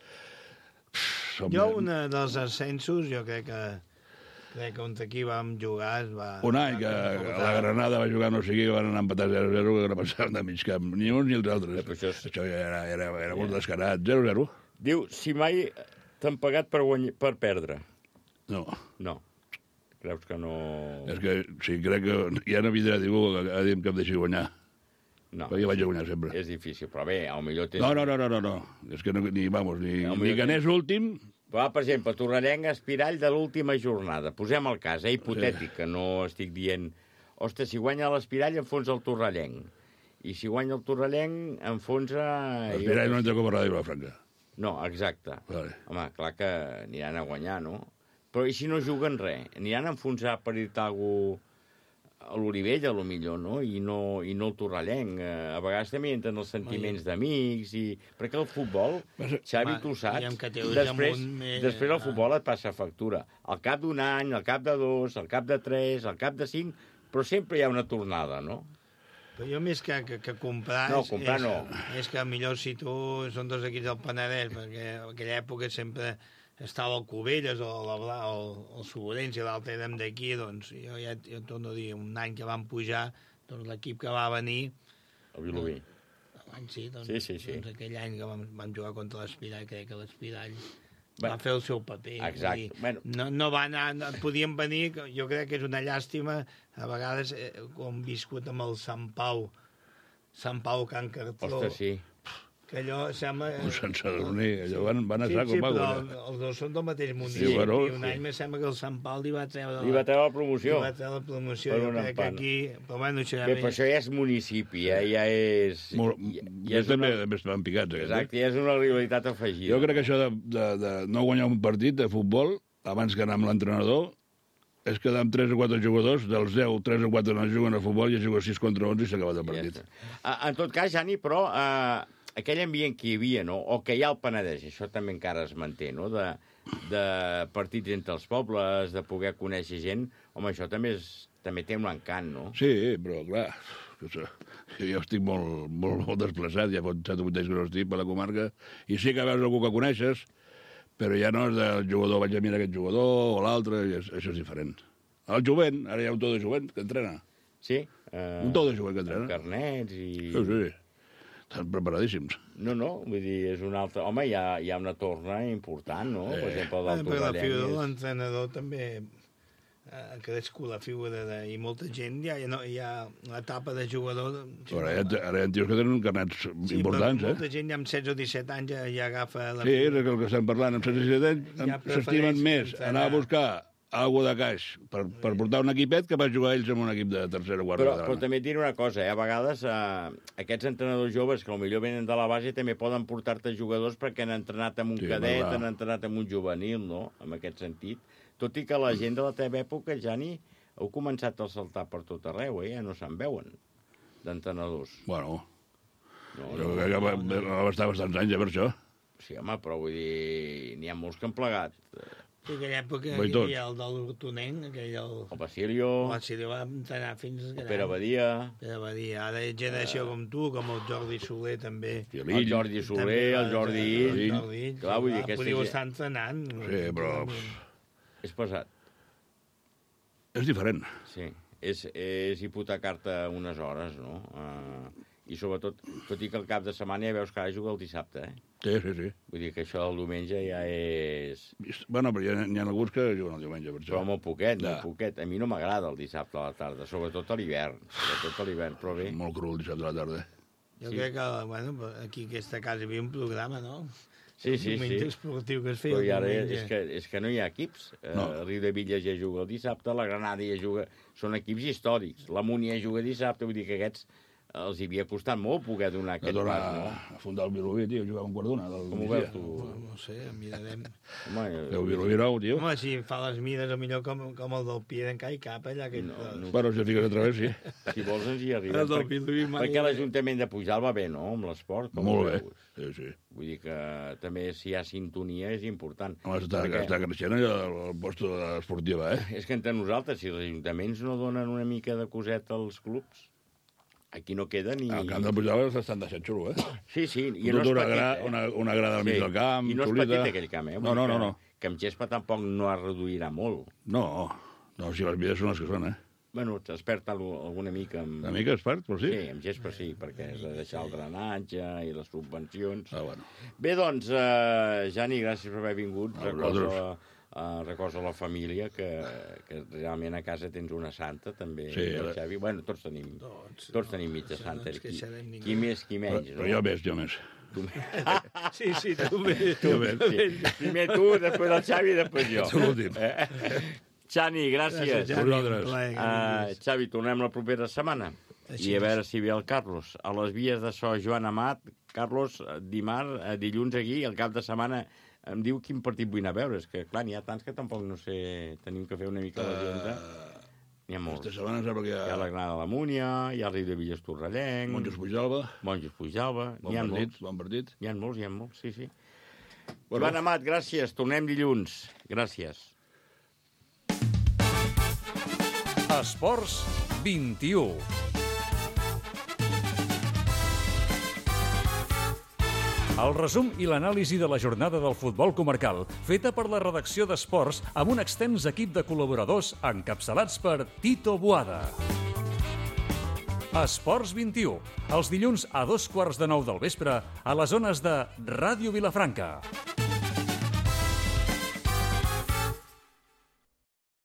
Un dels ascensos, jo crec que contra aquí vam jugar... Un any que la Granada va jugar no sé qui, van anar a empatar 0-0, que no passaven de mig camp. Ni uns ni els altres. Això era molt descarat. 0-0. Diu, si mai t'han pagat per perdre. No. Creus que no... És que sí, crec que ja no vindrà ningú a dir que em deixi guanyar. No. Perquè vaig a guanyar sempre. És difícil, però bé, potser tens... No. És que ni que anés últim... Per exemple, Torrellenc, Espirall de l'última jornada. Posem el cas, hipotètic, que no estic dient... Ostres, si guanya l'Espirall, enfonsa el Torrellenc. I si guanya el Torrellenc, enfonsa... L'Espirall no entra com a Ràdio Vilafranca. No, exacte. Vale. Home, clar que aniran a guanyar, no? Però i si no juguen res? Aniran a enfonsar per dir-te alguna cosa a l'Olivella, millor, no? I no el Torrellenc. A vegades també entren els sentiments d'amics, perquè el futbol, Xavi, tu saps, després el futbol et passa factura. Al cap d'un any, al cap de 2, al cap de 3, al cap de 5, però sempre hi ha una tornada, no? Però jo més que comprar... No, comprar no. És que millor si tu són dos equips del Penedès, perquè en aquella època sempre estava el Cubelles o el Soborens i l'altre érem d'aquí, doncs jo torno a dir, un any que vam pujar, doncs l'equip que va venir... El Vilobí. Sí. Doncs aquell any que vam jugar contra l'Espirall, crec que l'Espirall va fer el seu paper. Exacte. No va anar, podien venir, jo crec que és una llàstima, a vegades, com viscut amb el Sant Pau Can Cartró. Ostres, sí. Que allò sembla... Sense dormir, allò van a saco. Sí, però els dos són del mateix municipi. I un any me sembla que el Sant Pau li va treure la promoció. Jo crec que aquí... Però bueno, això però això ja és municipi, ja és... També estaven picats, aquest. Exacte, ja és una rivalitat afegida. Jo crec que això de no guanyar un partit de futbol, abans que anar amb l'entrenador, és quedar amb 3 o 4 jugadors, dels 10, 3 o 4 no juguen a futbol i juguen 6 contra 11 i s'ha acabat el partit. En tot cas, Jani, però... aquell ambient que hi havia, no? O que hi ha al Penedès, això també encara es manté, no? De partits entre els pobles, de poder conèixer gent, home, això també té un encant, no? Sí, però clar, jo estic molt desplaçat, ja fa 7 o 8 anys que no estic per la comarca, i sí que veus algú que coneixes, però ja no és del jugador, vaig a mirar aquest jugador o l'altre, això és diferent. El jovent, ara hi ha un tot de jovent que entrena. Sí? Un tot de jovent que entrena. Amb carnets i... Sí. Estan preparadíssims. No, vull dir, és un altre... Home, hi ha una torna important, no? Per exemple, del Torrellenc. La figura de l'entrenador també ha crescut la figura i molta gent, hi ha l'etapa de jugador... Ara hi ha tios que tenen carnets importants, molta gent ja amb 16 o 17 anys ja agafa... Sí, és el que estem parlant, amb 16 o 17 anys s'estimen més anar a buscar algo de caix per portar un equipet que va jugar ells en un equip de tercera o quarta. Però també et diré una cosa, a vegades aquests entrenadors joves que potser venen de la base també poden portar-te jugadors perquè han entrenat amb un cadet, han entrenat amb un juvenil, no?, en aquest sentit. Tot i que la gent de la teva època, Jani, heu començat a saltar per tot arreu, ja no se'n veuen, d'entrenadors. Bueno, va estar bastants anys, per això. Sí, home, però vull dir, n'hi ha molts que han plegat. Sí, aquella època Vaig hi tots. havia el del Tonenc, aquell... El Basilio. El Basilio va entrenar fins... El Pere Badia. Pere Badia. Ara hi ha generació com tu, com el Jordi Soler, també. El Jordi Soler, el Jordi Ill. Clar, vull dir, podríeu estar entrenant. Sí, però... És pesat. És diferent. Sí, és hipotecar-te unes hores, no? I sobretot, tot i que el cap de setmana ja veus que ara juga el dissabte, Sí, sí, sí. Vull dir que això el diumenge ja és... Bueno, però n'hi ha alguns que juguen el diumenge, per això. Però molt poquet, molt poquet. A mi no m'agrada el dissabte a la tarda, sobretot a l'hivern. Però bé. Molt cru el dissabte a la tarda. Jo crec que, bueno, aquí a aquesta casa hi havia un programa, no? Sí. Un diumenge esportiu que es feia. Però ara és que no hi ha equips. El Riu de Villas ja juga el dissabte, la Granada ja juga... Són equips històrics. La Múnia juga dissabte, vull dir que aquests els hi havia costat molt poder donar aquest pas, no? A fundar el Vilobí, tio, jugava un quart d'una. Com ho veus, tu? No sé, mirarem. El Vilobí nou, tio. Home, si fa les mides, millor com el del Pied en Cai Cap, allà que... Però si fiques a través, sí. Si vols ens hi arribem. Perquè l'Ajuntament de Pujalt va bé, no?, amb l'esport. Molt bé, sí. Vull dir que també si hi ha sintonia és important. Home, està creixent el posto esportiva, És que entre nosaltres, si els ajuntaments no donen una mica de coseta als clubs, aquí no queda ni... El camp de Pujalt s'estan deixant xulo, Sí, i no és petit, una grada al mig del camp, i no és petit aquell camp, No. Que amb gespa tampoc no es reduirà molt. No, si les mides són les que són, Bueno, t'has perd alguna mica amb... Una mica es perd, però sí? Sí, amb gespa sí, perquè has de deixar el drenatge i les subvencions. Bueno. Bé, doncs, Jani, gràcies per haver vingut. Recorda la família, que realment a casa tens una santa, també. Sí, Xavi. Bueno, tots tenim mitja santa. Qui més, qui menys. Però jo més. Sí, tu més. Primer tu, després el Xavi i després jo. Tu l'últim. Xani, gràcies. Xavi, tornem la propera setmana. I a veure si ve el Carlos. A les vies de so, Joan Amat, Carlos, dilluns aquí, al cap de setmana, em diu quin partit vull anar a veure. És que, clar, n'hi ha tants que tampoc no sé... Tenim que fer una mica l'agenda. N'hi ha molts. Aquesta setmana sembla que hi ha... Hi ha la Granada de la Múnia, hi ha el Riu de Villas Torrellenc... Monjos Pujalba. Bon partit. N'hi ha molts, sí. Joan Amat, gràcies. Tornem dilluns. Gràcies. Esports 21. El resum i l'anàlisi de la jornada del futbol comarcal, feta per la redacció d'Esports amb un extens equip de col·laboradors encapçalats per Tito Boada. Esports 21, els dilluns a 2:15 del vespre a les zones de Ràdio Vilafranca.